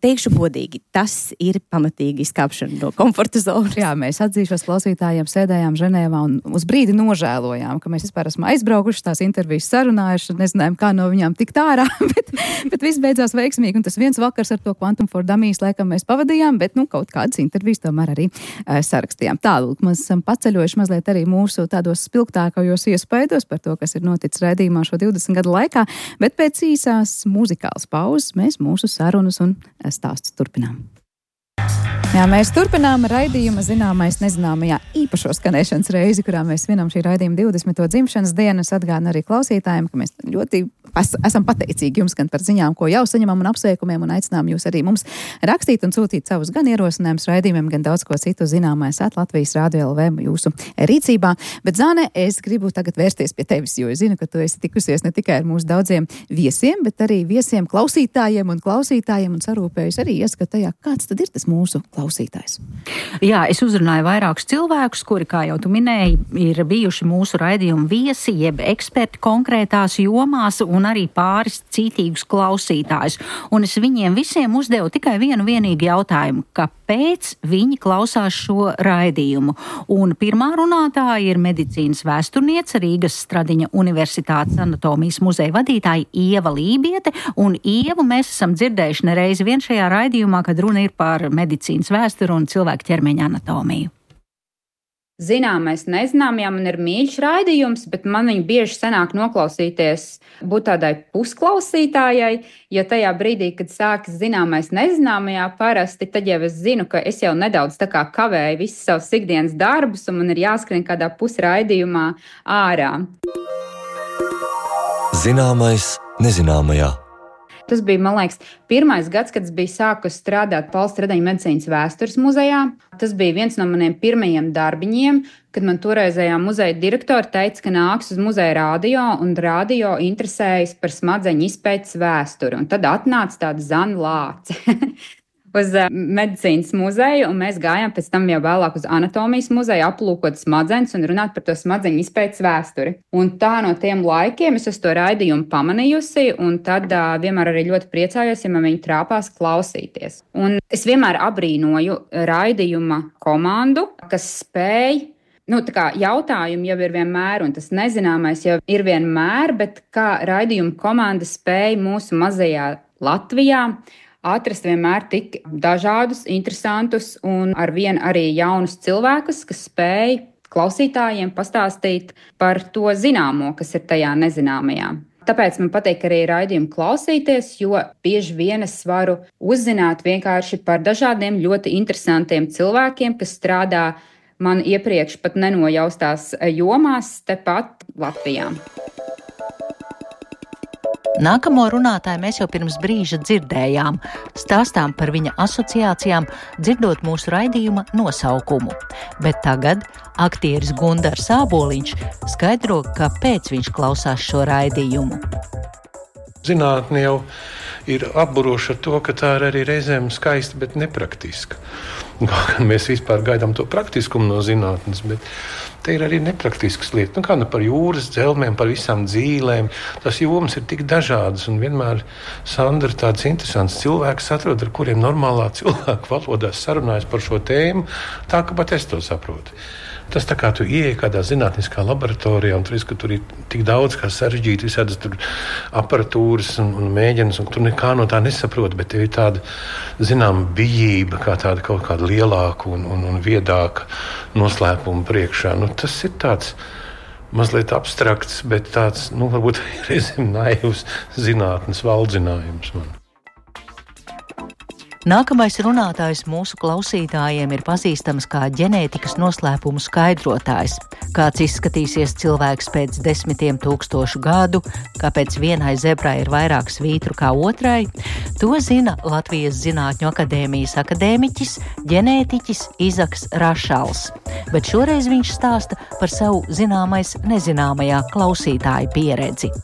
teikšu godīgi, tas ir pamatīgi izkāpšana no komforta zonas. Jā, mēs atzīšos klausītājiem, sēdējām Ženēvā un uz brīdi nožēlojām, ka mēs vispār esam aizbraukuši, tās intervijas sarunājuši, nezinājām, kā no viņām tikt ārā, bet, bet viss beidzās veiksmīgi, un tas viens vakars ar to Quantum for Dummies laikam mēs pavadījām, bet, nu, kaut kādas intervijas tomēr arī uh, sarakstījām. Tālūk, mēs esam paceļojuši mazliet arī mūsu tādos spilgtākajos iespaidos par to, kas ir noticis raidījumā šo divdesmit gadu laikā, bet pēc īsās muzikālas pauzes mēs mūsu sarunas un stāstus turpinām. Jā, mēs turpinām raidījuma zināmais nezināmajā īpašo skanēšanas reizi, kurā mēs svinam šī raidījuma divdesmito dzimšanas dienu. Es atgādinu arī klausītājiem, ka mēs ļoti es, esam pateicīgi jums gan par ziņām, ko jau saņemam un apsveikumiem, un aicinām jūs arī mums rakstīt un sūtīt savus gan ierosinājumus raidījumiem, gan daudz ko citu zināmais at Latvijas Rādio L V jūsu rīcībā. Bet, Zāne, es gribu tagad vērsties pie tevis, jo es zinu, ka tu esi tikusies ne tikai ar mūsu daudziem viesiem, bet arī viesiem klausītājiem un klausītājiem un sarūpējus arī ieskatajā, kāds tad ir tas mūsu klausītājs. Jā, es uzrunāju vairākus cilvēkus, kuri, kā jau tu minēji, ir bijuši mūsu raidījuma viesi, jeb eksperti konkrētās jomās un arī pāris citīgus klausītājus. Un es viņiem visiem uzdevu tikai vienu vienīgu jautājumu, kāpēc viņi klausās šo raidījumu. Un pirmā runātāja ir medicīnas vēsturniece, Rīgas Stradiņa Universitātes anatomijas muzeja vadītāja Ieva Lībiete. Un Ievu mēs esam dzirdējuši nereizi vien šajā raidījumā, kad runa ir par medicīnas vēsturu un cilvēku ķermeņa anatomiju. Zināmais nezināmajā man ir mīļš raidījums, bet man viņu bieži sanāk noklausīties, būt tādai pusklausītājai, jo tajā brīdī, kad sākas zināmais nezināmajā parasti, tad jau es zinu, ka es jau nedaudz tā kā kavēju visus savus ikdienas darbus un man ir jāskrien kādā pusraidījumā ārā. Zināmais nezināmajā. Tas bija, man liekas, pirmais gads, kad es biju sākusi strādāt Valsts Stradiņa medicīnas vēstures muzejā. Tas bija viens no maniem pirmajiem darbiņiem, kad man toreizējā muzeja direktora teica, ka nāks uz muzeja radio un radio interesējas par smadzeņu izpētes vēsturi. Un tad atnāca tāda Zana Lāce uz medicīnas muzeju, un mēs gājām pēc tam jau vēlāk uz anatomijas muzeju, aplūkot smadzenes un runāt par to smadzeņu izpētes vēsturi. Un tā no tiem laikiem es esmu to raidījumu pamanījusi, un tad uh, vienmēr arī ļoti priecājos, ja man viņi trāpās klausīties. Un es vienmēr abrīnoju raidījuma komandu, kas spēj, nu, tā kā jautājumi jau ir vienmēr, un tas nezināmais jau ir vienmēr, bet kā raidījuma komanda spēj mūsu mazajā Latvijā atrast vienmēr tik dažādus, interesantus un arvien arī jaunus cilvēkus, kas spēj klausītājiem pastāstīt par to zināmo, kas ir tajā nezināmajā. Tāpēc man patīk arī raidījumu klausīties, jo bieži vien es varu uzzināt vienkārši par dažādiem ļoti interesantiem cilvēkiem, kas strādā man iepriekš pat nenojaustās jomās tepat Latvijā. Nākamo runātāju mēs jau pirms brīža dzirdējām, stāstām par viņa asociācijām, dzirdot mūsu raidījuma nosaukumu. Bet tagad aktieris Gundars Āboliņš skaidro, kāpēc viņš klausās šo raidījumu. Zinātne jau ir apburoša ar to, ka tā ir arī reizēm skaista, bet nepraktiska. Mēs vispār gaidām to praktiskumu no zinātnes, bet te ir arī nepraktiskas lietas. Nu, kā nu par jūras dzelmēm, par visām dzīlēm. Tas jomas ir tik dažādas, un vienmēr Sandra tāds interesants cilvēks atrod, ar kuriem normālā cilvēku valodās sarunājas par šo tēmu, tā ka pat es to saprotu. Tas tā kā tu ieej kādā zinātniskā laboratorijā un tu redz, ka tur ir tik daudz kā sarežģīti visādas tur aparatūras un, un mēģinas, un tu nekā no tā nesaproti, bet tev ir tāda, zinām, bijība, kā tāda kaut kāda lielāka un, un, un viedāka noslēpuma priekšā. Nu, tas ir tāds mazliet abstrakts, bet tāds, nu, varbūt reizēm naivs zinātnes valdzinājums man. Nākamais runātājs mūsu klausītājiem ir pazīstams kā ģenētikas noslēpumu skaidrotājs. Kāds izskatīsies cilvēks pēc desmitiem tūkstošu gadu, kāpēc vienai zebrai ir vairāk svītru kā otrai, to zina Latvijas Zinātņu akadēmijas akadēmiķis, ģenētiķis Izaks Rašals. Bet šoreiz viņš stāsta par savu zināmais nezināmajā klausītāju pieredzi.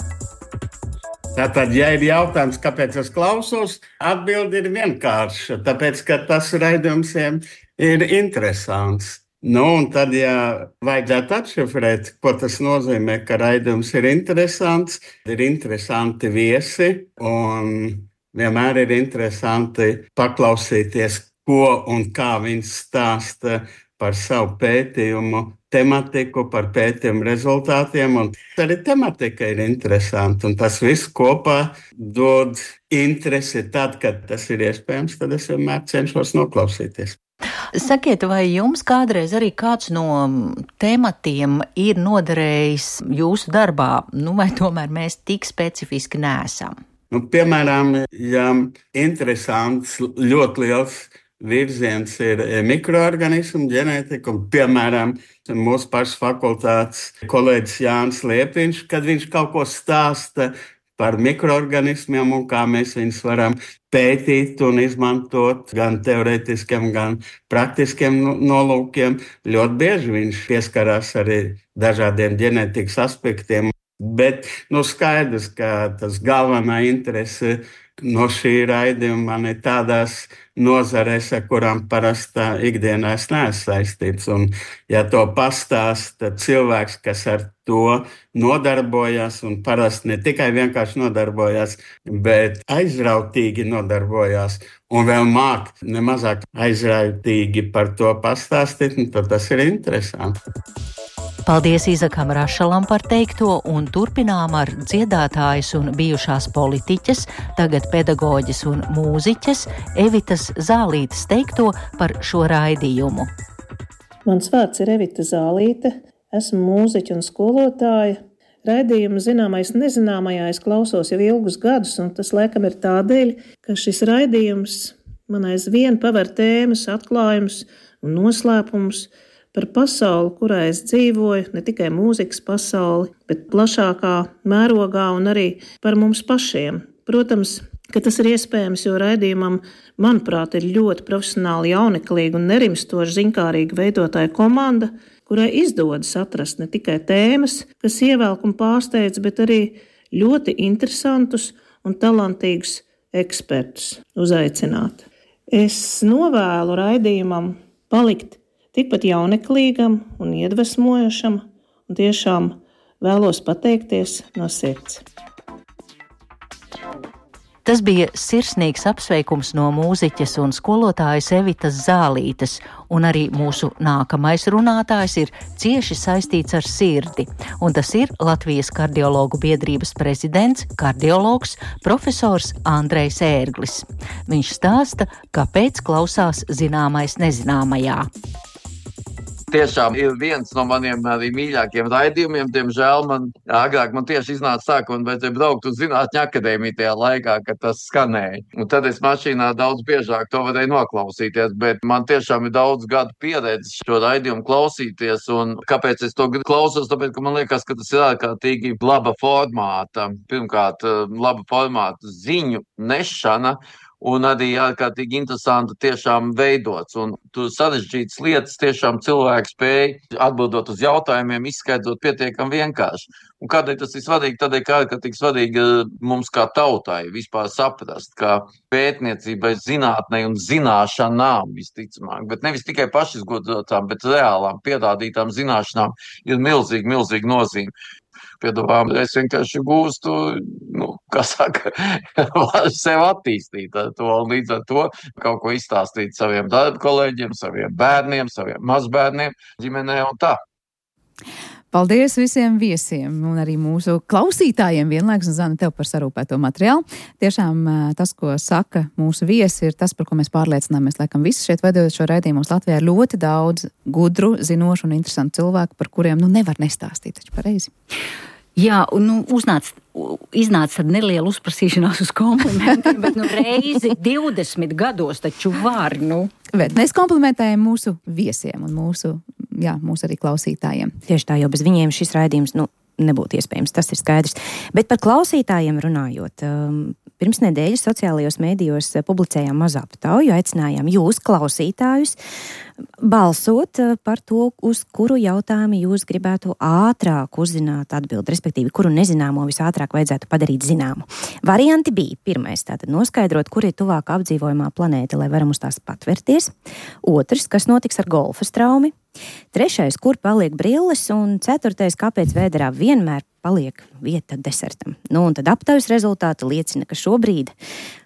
Tātad, ja ir jautājums, kāpēc es klausos, atbilde ir vienkārša, tāpēc, ka tas raidījums ir interesants. Nu, un tad, ja vajadzētu atšifrēt, ko tas nozīmē, ka raidījums ir interesants, ir interesanti viesi, un vienmēr ir interesanti paklausīties, ko un kā viņš stāsta par savu pētījumu tematiku, par pētījumu rezultātiem, un arī tematika ir interesanta, un tas viss kopā dod interesi tad, kad tas ir iespējams, tad es vienmēr cenšos noklausīties. Sakiet, vai jums kādreiz arī kāds no tematiem ir noderējis jūsu darbā, nu vai tomēr mēs tik specifiski neesam? Nu, piemēram, ja interesants, ļoti liels virziens ir mikroorganismu ģenētika, un, piemēram, mūsu pašas fakultātes kolēģis Jānis Liepiņš, kad viņš kaut ko stāsta par mikroorganismiem un kā mēs viņus varam pētīt un izmantot gan teorētiskiem, gan praktiskiem nolūkiem. Ļoti bieži viņš pieskarās arī dažādiem ģenētikas aspektiem, bet nu, skaidrs, ka tas galvenā interese no šī raidījuma man ir tādās nozarēs, ar kurām parastā ikdienā es neesmu saistīts. Un, ja to pastāsta cilvēks, kas ar to nodarbojas, un parasti ne tikai vienkārši nodarbojas, bet aizrautīgi nodarbojas, un vēl māk nemazāk aizrautīgi par to pastāstīt, tad tas ir interesanti. Paldies Izakam Rašalam par teikto, un turpinām ar dziedātājas un bijušās politiķes, tagad pedagoģes un mūziķes Evitas Zālītes teikto par šo raidījumu. Mans vārds ir Evita Zālīte, esmu mūziķa un skolotāja. Raidījumu zināmais nezināmajā es klausos jau ilgus gadus, un tas laikam ir tādēļ, ka šis raidījums man aizvien paver tēmas, atklājumus un noslēpumus par pasauli, kurā es dzīvoju, ne tikai mūzikas pasauli, bet plašākā mērogā un arī par mums pašiem. Protams, ka tas ir iespējams, jo raidījumam, manuprāt, ir ļoti profesionāli, jauneklīga un nerimstoši ziņkārīga veidotāja komanda, kurai izdodas atrast ne tikai tēmas, kas ievelk un pārsteidz, bet arī ļoti interesantus un talantīgus ekspertus uzaicināt. Es novēlu raidījumam palikt tikpat jauneklīgam un iedvesmojošam, un tiešām vēlos pateikties no sirds. Tas bija sirsnīgs apsveikums no mūziķes un skolotājas Evitas Zālītes, un arī mūsu nākamais runātājs ir cieši saistīts ar sirdi, un tas ir Latvijas kardiologu biedrības prezidents, kardiologs, profesors Andrejs Ērglis. Viņš stāsta, kāpēc klausās zināmais nezināmajā. Tiešām ir viens no maniem arī mīļākiem raidījumiem. Diemžēl man agrāk man tieši iznāca tā, ka man vajadzēja braukt uz Zinātņu akadēmiju tajā laikā, kad tas skanēja. Un tad es mašīnā daudz biežāk to varēju noklausīties, bet man tiešām ir daudz gadu pieredze šo raidījumu klausīties. Un kāpēc es to klausos? Tāpēc, ka man liekas, ka tas ir ārkārtīgi laba formāta. Pirmkārt, laba formāta ziņu nešana. Un arī ārkārtīgi interesanti tiešām veidots. Un tur sarežģītas lietas tiešām cilvēki spēja atbildot uz jautājumiem, izskaidrot pietiekami vienkārši. Un kādēļ tas ir svarīgi? Tādēļ, ka ārkārtīgi svarīgi mums kā tautai vispār saprast, ka pētniecībai, zinātnei un zināšanām visticamāk, bet nevis tikai pašizgodotām, bet reālām pierādītām zināšanām ir milzīgi, milzīgi nozīme. Piedāvām, es vienkārši gūstu, nu, kā saka, sev attīstīt ar to, un līdz ar to kaut ko izstāstīt saviem darba kolēģiem, saviem bērniem, saviem mazbērniem, ģimenē un tā. Paldies visiem viesiem un arī mūsu klausītājiem vienlaikus, un Zana, tev par sarūpēto materiālu. Tiešām tas, ko saka mūsu viesi, ir tas, par ko mēs pārliecināmies. Laikam visi šeit veidojot šo raidījumu mums Latvijā ir ļoti daudz gudru, zinošu un interesantu cilvēku, par kuriem nu nevar nestāstīt, taču pareizi. Jā, un nu, uznāc, iznāca tad neliela uzprasīšanās uz komplimentiem, bet nu reizi divdesmit gados taču var, nu. Bet mēs komplimentējam mūsu viesiem un mūsu, jā, mūsu arī klausītājiem. Tieši tā, jo bez viņiem šis raidījums, nu, nebūtu iespējams, tas ir skaidrs. Bet par klausītājiem runājot, pirms nedēļas sociālajos mēdījos publicējām mazu aptauju, aicinājām jūs, klausītājus, balsot par to, uz kuru jautājumu jūs gribētu ātrāk uzzināt atbildi, respektīvi, kuru nezināmo visātrāk vajadzētu padarīt zināmu. Varianti bija: pirmais, tātad noskaidrot, kur ir tuvāk apdzīvojamā planēta, lai varam uz tās patverties. Otrs, kas notiks ar golfa straumi. Trešais, kur paliek brilles, un ceturtais, kāpēc vēderā vienmēr paliek vieta desertam. Nu, un tad aptaujas rezultāti liecina, ka šobrīd,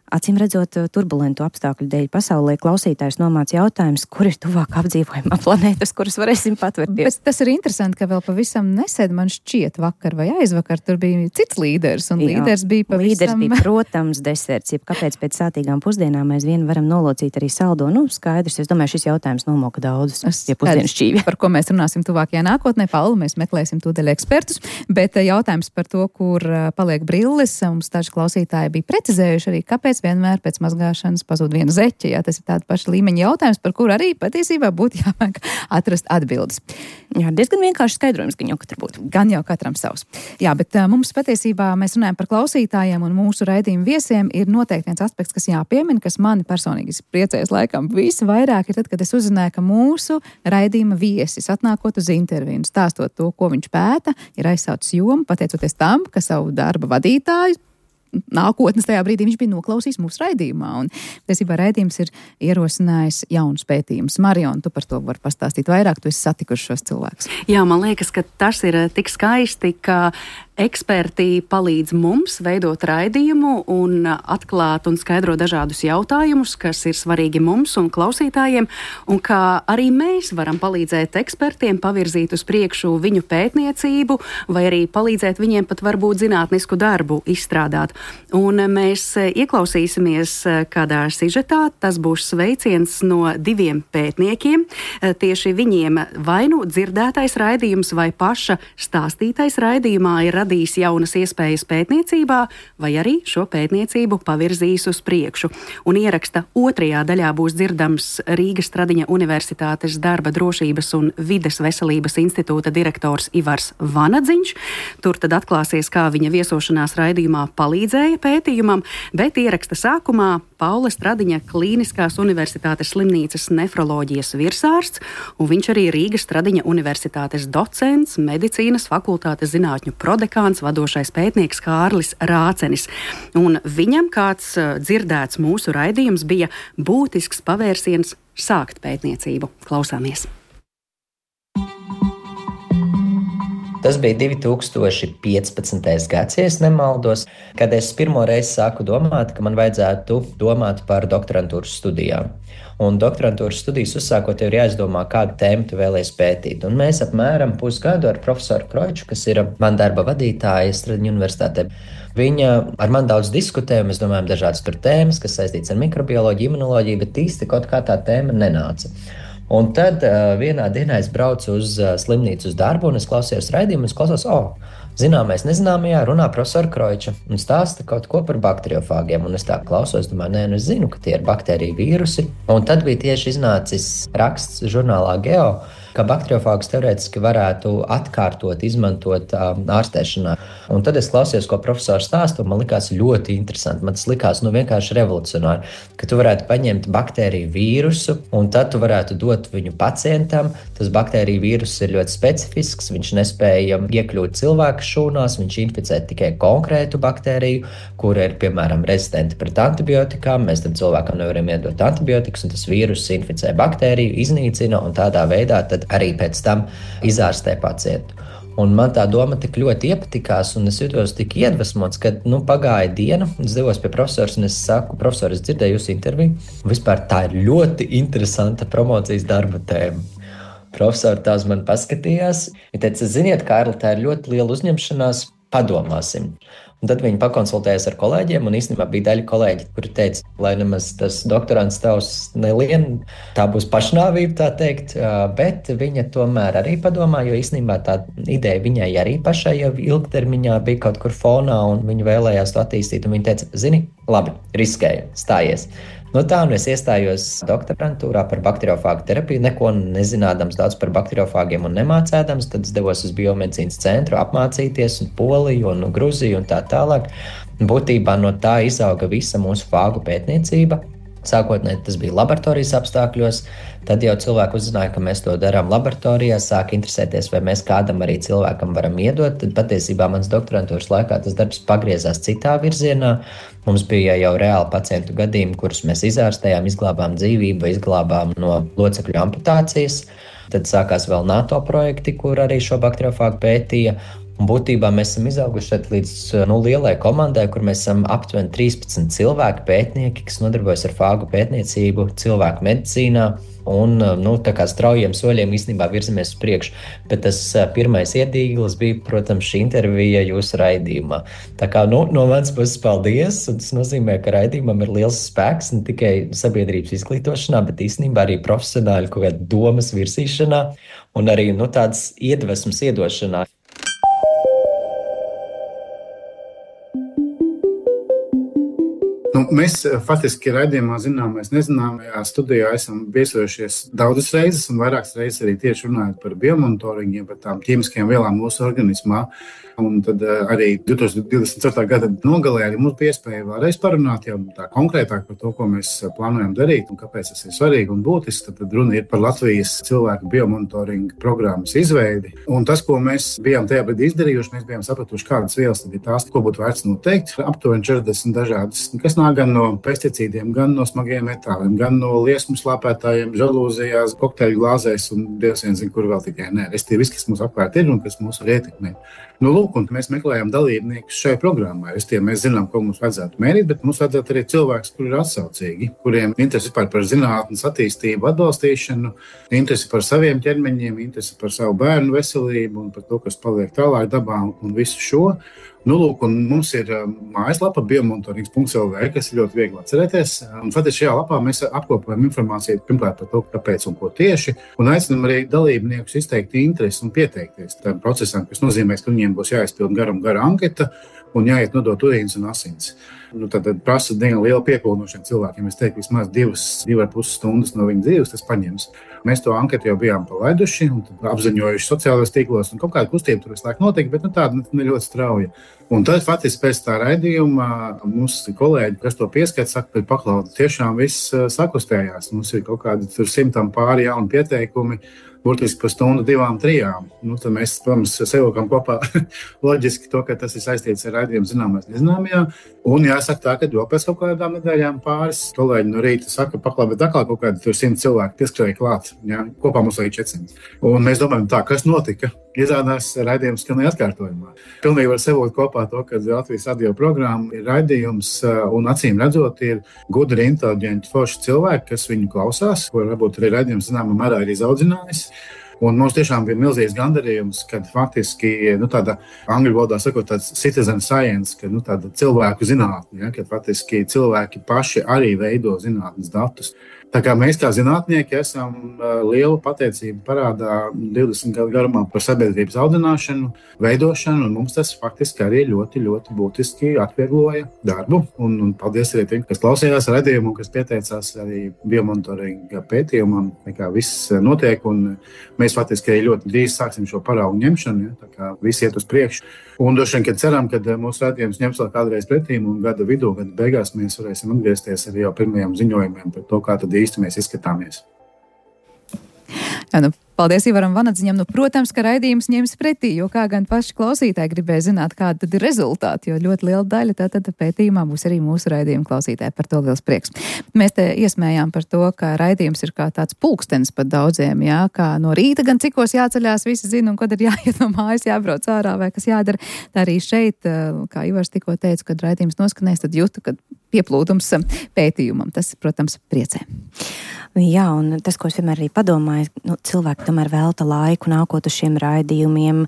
acīm redzot, turbulentu apstākļu dēļ pasaulē klausītājs nomāca jautājums, kur ir tuvāk apdzīvojamā planēta, uz kuras varēsim patverties. Bet tas ir interesanti, ka vēl pavisam nesen, man šķiet, vakar vai aizvakar, tur bija cits līderis, un Jā, līderis bija pavisam... Līderis bija, protams, deserts, jeb kāpēc pēc sātīgām pusdienām mēs vien varam nolocīt arī saldo. Nu, skaidrs, es domāju, šis jautājums nomoka daudzus, ja pusdienas šķīvi. Par ko mēs runāsim tuvākajā nākotnē, Paula, mēs meklēsim tūdaļ ekspertus, bet jautājums par to, kur paliek brilles, mums daži klausītāji bija precizējuši arī, kāpēc vienmēr pēc mazgāšanas pazūd viena zeķe. Jā, tas ir tāda paša līmeņa jautājums, par kuru arī patiesībā būtu jāmāk atrast atbildes. Jā, diezgan vienkārši skaidrojums, gan jau katram būtu. Gan jau katram savs. Jā, bet uh, mums patiesībā mēs runājam par klausītājiem un mūsu raidījumu viesiem ir noteikti viens aspekts, kas jāpiemina, kas mani personīgi priecēs laikam visvairāk ir tad, kad es uzzināju, ka mūsu raidījuma viesis atnākot uz interviju, stāstot to, ko viņš pēta, ir aizsaucis jomu, pateicoties tam, ka savu darba vadītāju nākotnes tajā brīdī viņš bija noklausījis mūsu raidījumā. Un, tiesībā, raidījums ir ierosinājis jaunus pētījumus. Marion, tu par to vari pastāstīt vairāk, tu esi satikuši šos cilvēkus. Jā, man liekas, ka tas ir tik skaisti, ka eksperti palīdz mums veidot raidījumu un atklāt un skaidrot dažādus jautājumus, kas ir svarīgi mums un klausītājiem, un kā arī mēs varam palīdzēt ekspertiem pavirzīt uz priekšu viņu pētniecību, vai arī palīdzēt viņiem pat varbūt zinātnisku darbu izstrādāt. Un mēs ieklausīsimies kādā sižetā, tas būs sveiciens no diviem pētniekiem. Tieši viņiem vai nu dzirdētais raidījums vai paša stāstītais raidījumā ir radījis jaunas iespējas pētniecībā, vai arī šo pētniecību pavirzīs uz priekšu. Un ieraksta otrajā daļā būs dzirdams Rīgas Stradiņa Universitātes darba drošības un vides veselības institūta direktors Ivars Vanadziņš. Tur tad atklāsies, kā viņa viesošanās raidījumā palīdzēja pētījumam, bet ieraksta sākumā Paula Stradiņa Klīniskās Universitātes slimnīcas nefroloģijas virsārsts, un viņš arī Rīgas Stradiņa Universitātes docents, medicīnas fakultātes zinātņu prodekāns, vadošais pētnieks Kārlis Rācenis. Un viņam kāds dzirdēts mūsu raidījums bija būtisks pavērsiens sākt pētniecību. Klausāmies! Tas bija divi tūkstoši piecpadsmitais gads, ja es nemaldos, kad es pirmo reizi sāku domāt, ka man vajadzētu domāt par doktorantūras studijām. Un doktorantūras studijas uzsākot, tev ir jāizdomā, kādu tēmu tu vēlies pētīt. Un mēs apmēram pusgadu ar profesoru Kroiču, kas ir man darba vadītāja Stradiņu universitātē, viņa ar mani daudz diskutēja, mēs domājam dažādas tur tēmas, kas saistīts ar mikrobioloģiju, imunoloģiju, bet īsti kaut kā tā tēma nenāca. Un tad uh, vienā dienā es braucu uz uh, slimnīcu uz darbu, un es klausījos raidījumu, un es klausos, o, oh, zināmais nezināmajā runā profesora Kroiča un stāsta kaut ko par bakteriofāgiem. Un es tā klausos, domāju, nē, nu es zinu, ka tie ir baktēriju vīrusi. Un tad bija tieši iznācis raksts žurnālā Geo, ka bakteriofāgus teorētiski varētu atkārtot, izmantot um, ārstēšanā. Un tad es klausījos, ko profesors stāsta, un man likās ļoti interesanti. Man tas likās nu, vienkārši revolucionāri, ka tu varētu paņemt baktēriju vīrusu, un tad tu varētu dot viņu pacientam. Tas baktēriju vīrus ir ļoti specifisks, viņš nespēja iekļūt cilvēka šūnās, viņš inficē tikai konkrētu baktēriju, kura ir, piemēram, rezistenta pret antibiotikām. Mēs tam cilvēkam nevaram iedot antibiotikas, un tas vīrus inficē baktēriju, iznīcina, un tādā veidā tad arī pēc tam izārstē pacientu. Un man tā doma tik ļoti iepatikās, un es jutos tik iedvesmots, ka nu, pagāja diena, es devos pie profesors, un es saku, profesor, es dzirdēju jūsu interviju. Vispār tā ir ļoti interesanta promocijas darba tēma. Profesori tā uz mani paskatījās. Viņa teica, ziniet, Kārli, tā ir ļoti liela uzņemšanās, padomāsim. Un tad viņi pakonsultējās ar kolēģiem, un īstenībā bija daļa kolēģi, kuri teica, lai nemaz tas doktorants tavs nelien, tā būs pašnāvība, tā teikt, bet viņa tomēr arī padomā, jo īstenībā tā ideja viņai arī pašai jau ilgtermiņā bija kaut kur fonā, un viņa vēlējās to attīstīt, un viņa teica, zini, labi, riskēju, stājies. No tā, un es iestājos doktorantūrā par bakteriofāgu terapiju, neko nezinādams daudz par bakteriofāgiem un nemācēdams, tad es devos uz biomedicīnas centru apmācīties, un Poliju, un Gruziju, un tā tālāk. Būtībā no tā izauga visa mūsu fāgu pētniecība. Sākotnēji tas bija laboratorijas apstākļos, tad jau cilvēki uzzināja, ka mēs to darām laboratorijā, sāk interesēties, vai mēs kādam arī cilvēkam varam iedot. Tad patiesībā mans doktorantūras laikā tas darbs pagriezās citā virzienā. Mums bija jau reāli pacientu gadījumi, kurus mēs izārstējām, izglābām dzīvību, izglābām no locekļu amputācijas. Tad sākās vēl NATO projekti, kur arī šo bakteriofāgu pētīja. Un būtībā mēs esam izauguši līdz nu, lielai komandai, kur mēs esam aptuveni trīspadsmit cilvēki pētnieki, kas nodarbojas ar fāgu pētniecību cilvēku medicīnā. Un nu, tā kā straujiem soļiem īstenībā virzamies uz priekšu. Bet tas pirmais iedīglis bija, protams, šī intervija jūsu raidījumā. Tā kā nu, no manas puses paldies, un tas nozīmē, ka raidījumam ir liels spēks ne tikai sabiedrības izglītošanā, bet īstenībā arī profesionāļu kaut kāda domas virsīšanā un arī nu, tādas iedvesmas iedošanā. Nu, mēs faktiski raidījumā zināmais nezināmajā studijā esam viesojušies daudzas reizes un vairākas reizes arī tieši runājot par biomonitoringiem, par tām ķīmiskajām vielām mūsu organismā. Un tad arī divtūkstoš divdesmit ceturtā gada nogalē arī mums bija iespēja vēlreiz parunāt jau tā konkrētāk par to, ko mēs plānojam darīt un kāpēc tas ir svarīgi un būtiski. Tad runa ir par Latvijas cilvēku biomonitoringa programmas izveidi. Un tas, ko mēs bijām tajā brīdī izdarījuši, mēs bijām sapratuši, kādas vielas tad ir tās, ko būtu vērts noteikt. Aptuveni četrdesmit dažādas, kas nāk gan no pesticīdiem, gan no smagiem metāliem, gan no liesmu slāpētājiem, žalūzijās, kokteļu glāzēs un dievs vien zina, kur vēl tikai nē. Restīvi viss, kas mums apkārt ir un kas mūs var ietekmēt. Nu, lūk, un mēs meklējam dalībniekus šai programmai. Restīvi mēs zinām, ko mums vajadzētu mērīt, bet mums vajadzētu arī cilvēks, kuri ir atsaucīgi, kuriem interesi par, par zinātnes attīstību, atbalstīšanu, interesi par saviem ķermeņiem, interesi par savu bērnu veselību un par to, kas paliek tālāk dabā un visu šo. Nu, lūk, un mums ir mājaslapa biomonitorings punkts el vē, kas ir ļoti viegli atcerēties. Un faktiski šajā lapā mēs apkopojam informāciju pirmkārt par to, kāpēc un ko tieši, un aicinam arī dalībniekus izteikt interesi un pieteikties tam procesam, kas nozīmē, ka viņiem būs jāizpild gara un gara anketa un jāiet nodot urīns un asins. Nu, tad, tad prasa diezgan liela piepildu no šiem cilvēkiem. Es teiktu, vismaz divas, divas ar pus stundas no viņa dzīves tas paņems. Mēs to anketu jau bijām palaiduši un apziņojuši sociālajos tīklos, un kaut kāda kustība tur visu laiku notika, bet nu, tāda ne ļoti strauja. Un tad faktiski pēc tā raidījuma mums kolēģi, kas to pieskata, saka, ka paklaudi tiešām viss sakustējās. Mums ir kaut kādi tur simtam pāri jauni pieteikumi, burtiski par stundu, divām, trijām. Nu, tad mēs, protams, sevilkam kopā loģiski to, ka tas ir saistīts ar raidījumu zināmais nezināmajā. Un jāsaka tā, ka jau pēc kaut kādām nedēļām pāris kolēģi no rīta saka, paklāt, bet atkal kaut kādi tur simt cilvēki pieskrēja klāt. Jā, kopā mums arī četrsimt. Un mēs domājam tā, kas notika? izrādās raidījums skanēja atkārtojumā. Pilnīgi var savilkt kopā to, ka Latvijas radio programma ir raidījums un acīm redzot ir gudri, inteliģenti, forši cilvēki, kas viņu klausās, ko varbūt arī raidījums zināmā mērā ir izaudzinājis. Un mums tiešām bija milzīgs gandarījums, kad faktiski, nu, tāda angļu valodā sakot, tāds citizen science, ka, nu, tāda cilvēku zinātne, ja, kad faktiski cilvēki paši arī veido zinātnes datus. Tā kā mēs kā zinātnieki esam uh, lielu pateicību parādā divdesmit gadu garumā par sabiedrības audzināšanu, veidošanu, un mums tas faktiski arī ļoti, ļoti būtiski atviegloja darbu. Un, un paldies arī tiem, kas klausījās raidījumu, kas pieteicās arī biomonitoringa pētījumam, kā viss notiek, un mēs faktiski arī ļoti drīz sāksim šo paraugu ņemšanu, ja, tā kā viss iet uz priekšu. Un droši vien, kad ceram, ka mūsu raidījums ņems vēl kādreiz pretīm, un gada vidū, gada beigās mēs varēsim atgriezties arī jau pirmajiem ziņojumiem par to, kā tad īsti mēs izskatāmies. Jā, nu, paldies Ivaram Vanadziņam. Nu, protams, ka raidījums ņems pretī, jo kā gan paši klausītāji gribēja zināt, kāda tad ir rezultāti, jo ļoti liela daļa tātad pētījumā būs arī mūsu raidījuma klausītāji. Par to liels prieks. Mēs te iesmējām par to, ka raidījums ir kā tāds pulkstenis pat daudziem, jā, kā no rīta gan cikos jāceļās, visi zina, un kad ir jāiet no mājas, jābrauc ārā vai kas jādara. Tā arī šeit, kā Ivars tikko teica, kad raidījums noskanēs, tad jūtu, kad pieplūdums pētījumam. Tas, protams, priecē. Jā, un tas, ko es vienmēr arī padomāju, nu, cilvēki tomēr velta laiku nākot uz šiem raidījumiem,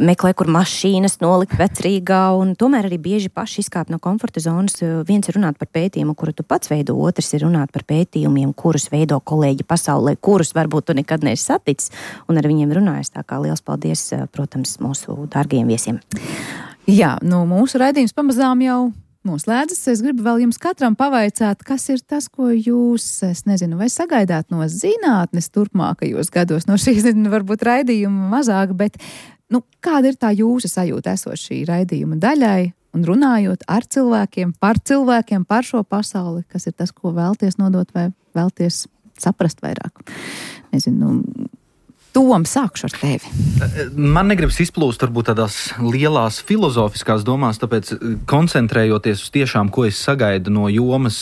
meklē, kur mašīnas nolikt vecrīgā, un tomēr arī bieži paši izkāp no komforta zonas. Viens ir runāt par pētījumu, kuru tu pats veido, otrs ir runāt par pētījumiem, kurus veido kolēģi pasaulē, kurus varbūt tu nekad neesi saticis, un ar viņiem runājas. Tā kā liels paldies, protams, mūsu dārgajiem viesiem. Jā, nu, mūsu raidījums pamazām jau noslēdzas. Es gribu vēl jums katram pavaicāt, kas ir tas, ko jūs, es nezinu, vai sagaidāt no zinātnes turpmākajos gados, no šīs, varbūt raidījuma mazāk, bet, nu, kāda ir tā jūsu sajūta esot šī raidījuma daļai un runājot ar cilvēkiem, par cilvēkiem, par šo pasauli, kas ir tas, ko vēlties nodot vai vēlties saprast vairāk? Nezinu, Tom, sākšu ar tevi. Man negribas izplūst varbūt tādās lielās filozofiskās domās, tāpēc koncentrējoties uz tiešām, ko es sagaidu no jomas,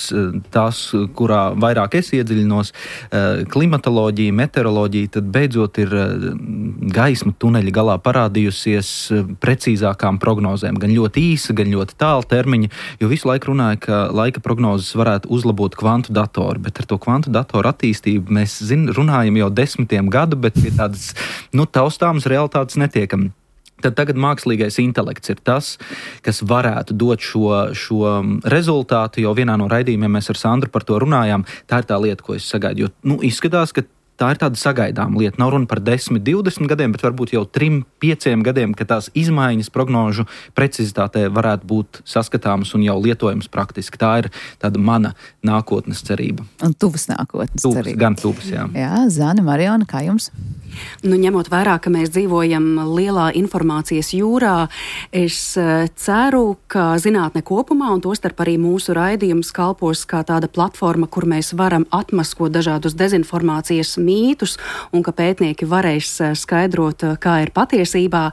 tās, kurā vairāk es iedziļinos, klimatoloģija, meteoroloģija, tad beidzot ir gaisma tuneļa galā parādījusies precīzākām prognozēm. Gan ļoti īsa, gan ļoti tāla termiņa, jo visu laiku runāja, ka laika prognozes varētu uzlabot kvantu datoru, bet ar to kvantu datoru attīstību mēs zin, runājam jau desmitiem gadu, bet pie tādas, nu, taustāmas realitātes netiekam. Tad tagad mākslīgais intelekts ir tas, kas varētu dot šo, šo rezultātu, jo vienā no raidījumiem mēs ar Sandru par to runājām. Tā ir tā lieta, ko es sagaidu, jo, nu, izskatās, ka tā ir tāda sagaidāma lieta. Nav runa par desmit, divdesmit gadiem, bet varbūt jau trim, pieciem gadiem, ka tās izmaiņas prognožu precizitātē varētu būt saskatāmas un jau lietojams praktiski. Tā ir tāda mana nākotnes cerība. Un tuvas nākotnes tuvas, cerība. Gan tuvas, jā. Jā, Zane, Mariona, kā jums? Nu, ņemot vērā, ka mēs dzīvojam lielā informācijas jūrā, es ceru, ka zinātne kopumā, un tostarp arī mūsu raidījums kalpos kā tāda platforma, kur mēs varam atmaskot dažādus dezinformācijas mītus, un ka pētnieki varēs skaidrot, kā ir patiesībā.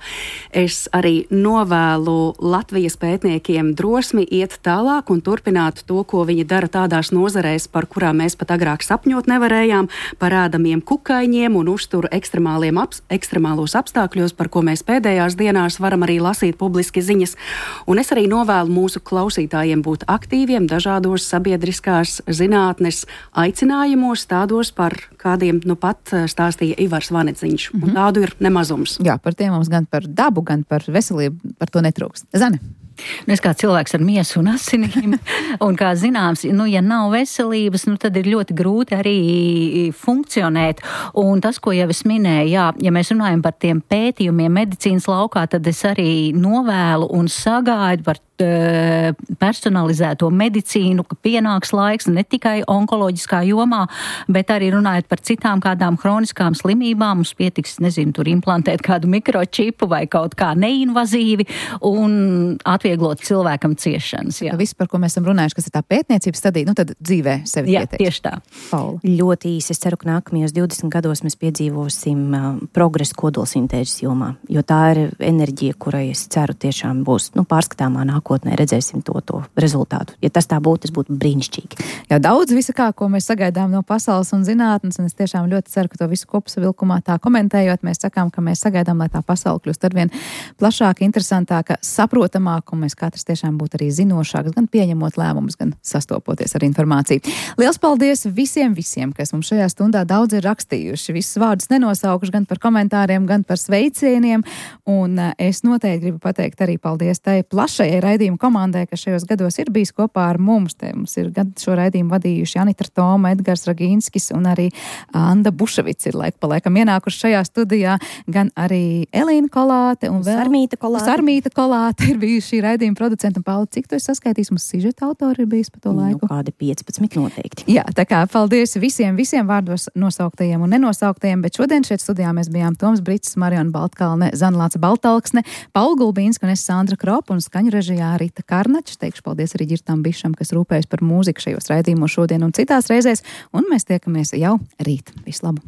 Es arī novēlu Latvijas pētniekiem drosmi iet tālāk un turpināt to, ko viņi dara tādās nozarēs, par kurām mēs pat agrāk sapņot nevarējām, par ēdamiem kukaiņiem un uzturu ekstremāliem ap, ekstremālos apstākļos, par ko mēs pēdējās dienās varam arī lasīt publiski ziņas. Un es arī novēlu mūsu klausītājiem būt aktīviem dažādos sabiedriskās zinātnes aicinājumos, tādos par kādiem nu pat stāstīja Ivars Vanadziņš. Mm-hmm. Un tādu ir nemazums. Jā, par tiem mums gan par dabu, gan par veselību, par to netrūkst. Zane? Nu, es kā cilvēks ar miesu un asinīm, un kā zināms, nu, ja nav veselības, nu, tad ir ļoti grūti arī funkcionēt. Un tas, ko jau es minēju, jā, ja mēs runājam par tiem pētījumiem medicīnas laukā, tad es arī novēlu un sagaidu par personalizēto medicīnu, ka pienāks laiks ne tikai onkoloģiskā jomā, bet arī runājot par citām kādām hroniskām slimībām. Mums pietiks, nezinu, tur implantēt kādu mikročipu vai kaut kā neinvazīvi un atvieglot cilvēkam ciešanas. Jā. Viss, par ko mēs esam runājuši, kas ir tā pētniecības stadija, nu tad dzīvē sevi jā, pieteiks. Tieši tā. Paula. Ļoti īsi. Es ceru, ka nākamajos divdesmit gados mēs piedzīvosim uh, progresu kodolsintēzes jomā, jo tā ir enerģija, kurai es ceru tiešām būs, nu, pārskatāmā nākotnē. nākotnē redzēsim to, to rezultātu. Ja tas tā būtu, tas būtu brīnišķīgi. Jā, daudz visa kā, ko mēs sagaidām no pasaules un zinātnes, un es tiešām ļoti ceru, ka to visu kopsavilkumā tā komentējot, mēs sakām, ka mēs sagaidām, lai tā pasaule kļūst arvien plašāka, interesantāka, saprotamāka, un mēs katrs tiešām būtu arī zinošāks, gan pieņemot lēmumus, gan sastopoties ar informāciju. Liels paldies visiem, visiem, kas mums šajā stundā daudz ir rakstījuši. Visus vārdus nenosaukuši gan par komentāriem, gan par sveicieniem, un es noteikti gribu pateikt arī paldies tai plašajai raidījuma komandai, kas šajos gados ir bijis kopā ar mums. Te mums ir gadu šo raidījumu vadījuši Anita Toma, Edgars Ragīnskis un arī Anda Buševics ir laik pa laikam ienākuši šajā studijā, gan arī Elīna Kolāte un vēl Sarmīta Kolāte. Sarmīta Kolāte ir bijuši šī raidījuma producenta. Un, Pauli, cik tu esi saskaitījis? Mums sižeta autori ir bijis pa to laiku? Nu, kādi piecpadsmit noteikti. Jā, tā kā paldies visiem, visiem vārdos nosauktajiem un nenosauktajiem, bet šodien šeit studijā mēs bijām Toms Brits, Mariona Baltkalne, Zanlāca Baltalksne, Paula Gulbīnska un es Sandra Kropa un skaņu režijā Rita Karnačs. Teikšu paldies arī Ģirtam Bišam, kas rūpējas par mūziku šajos raidījumos šodien un citās reizēs, un mēs tiekamies jau rīt. Visu labu!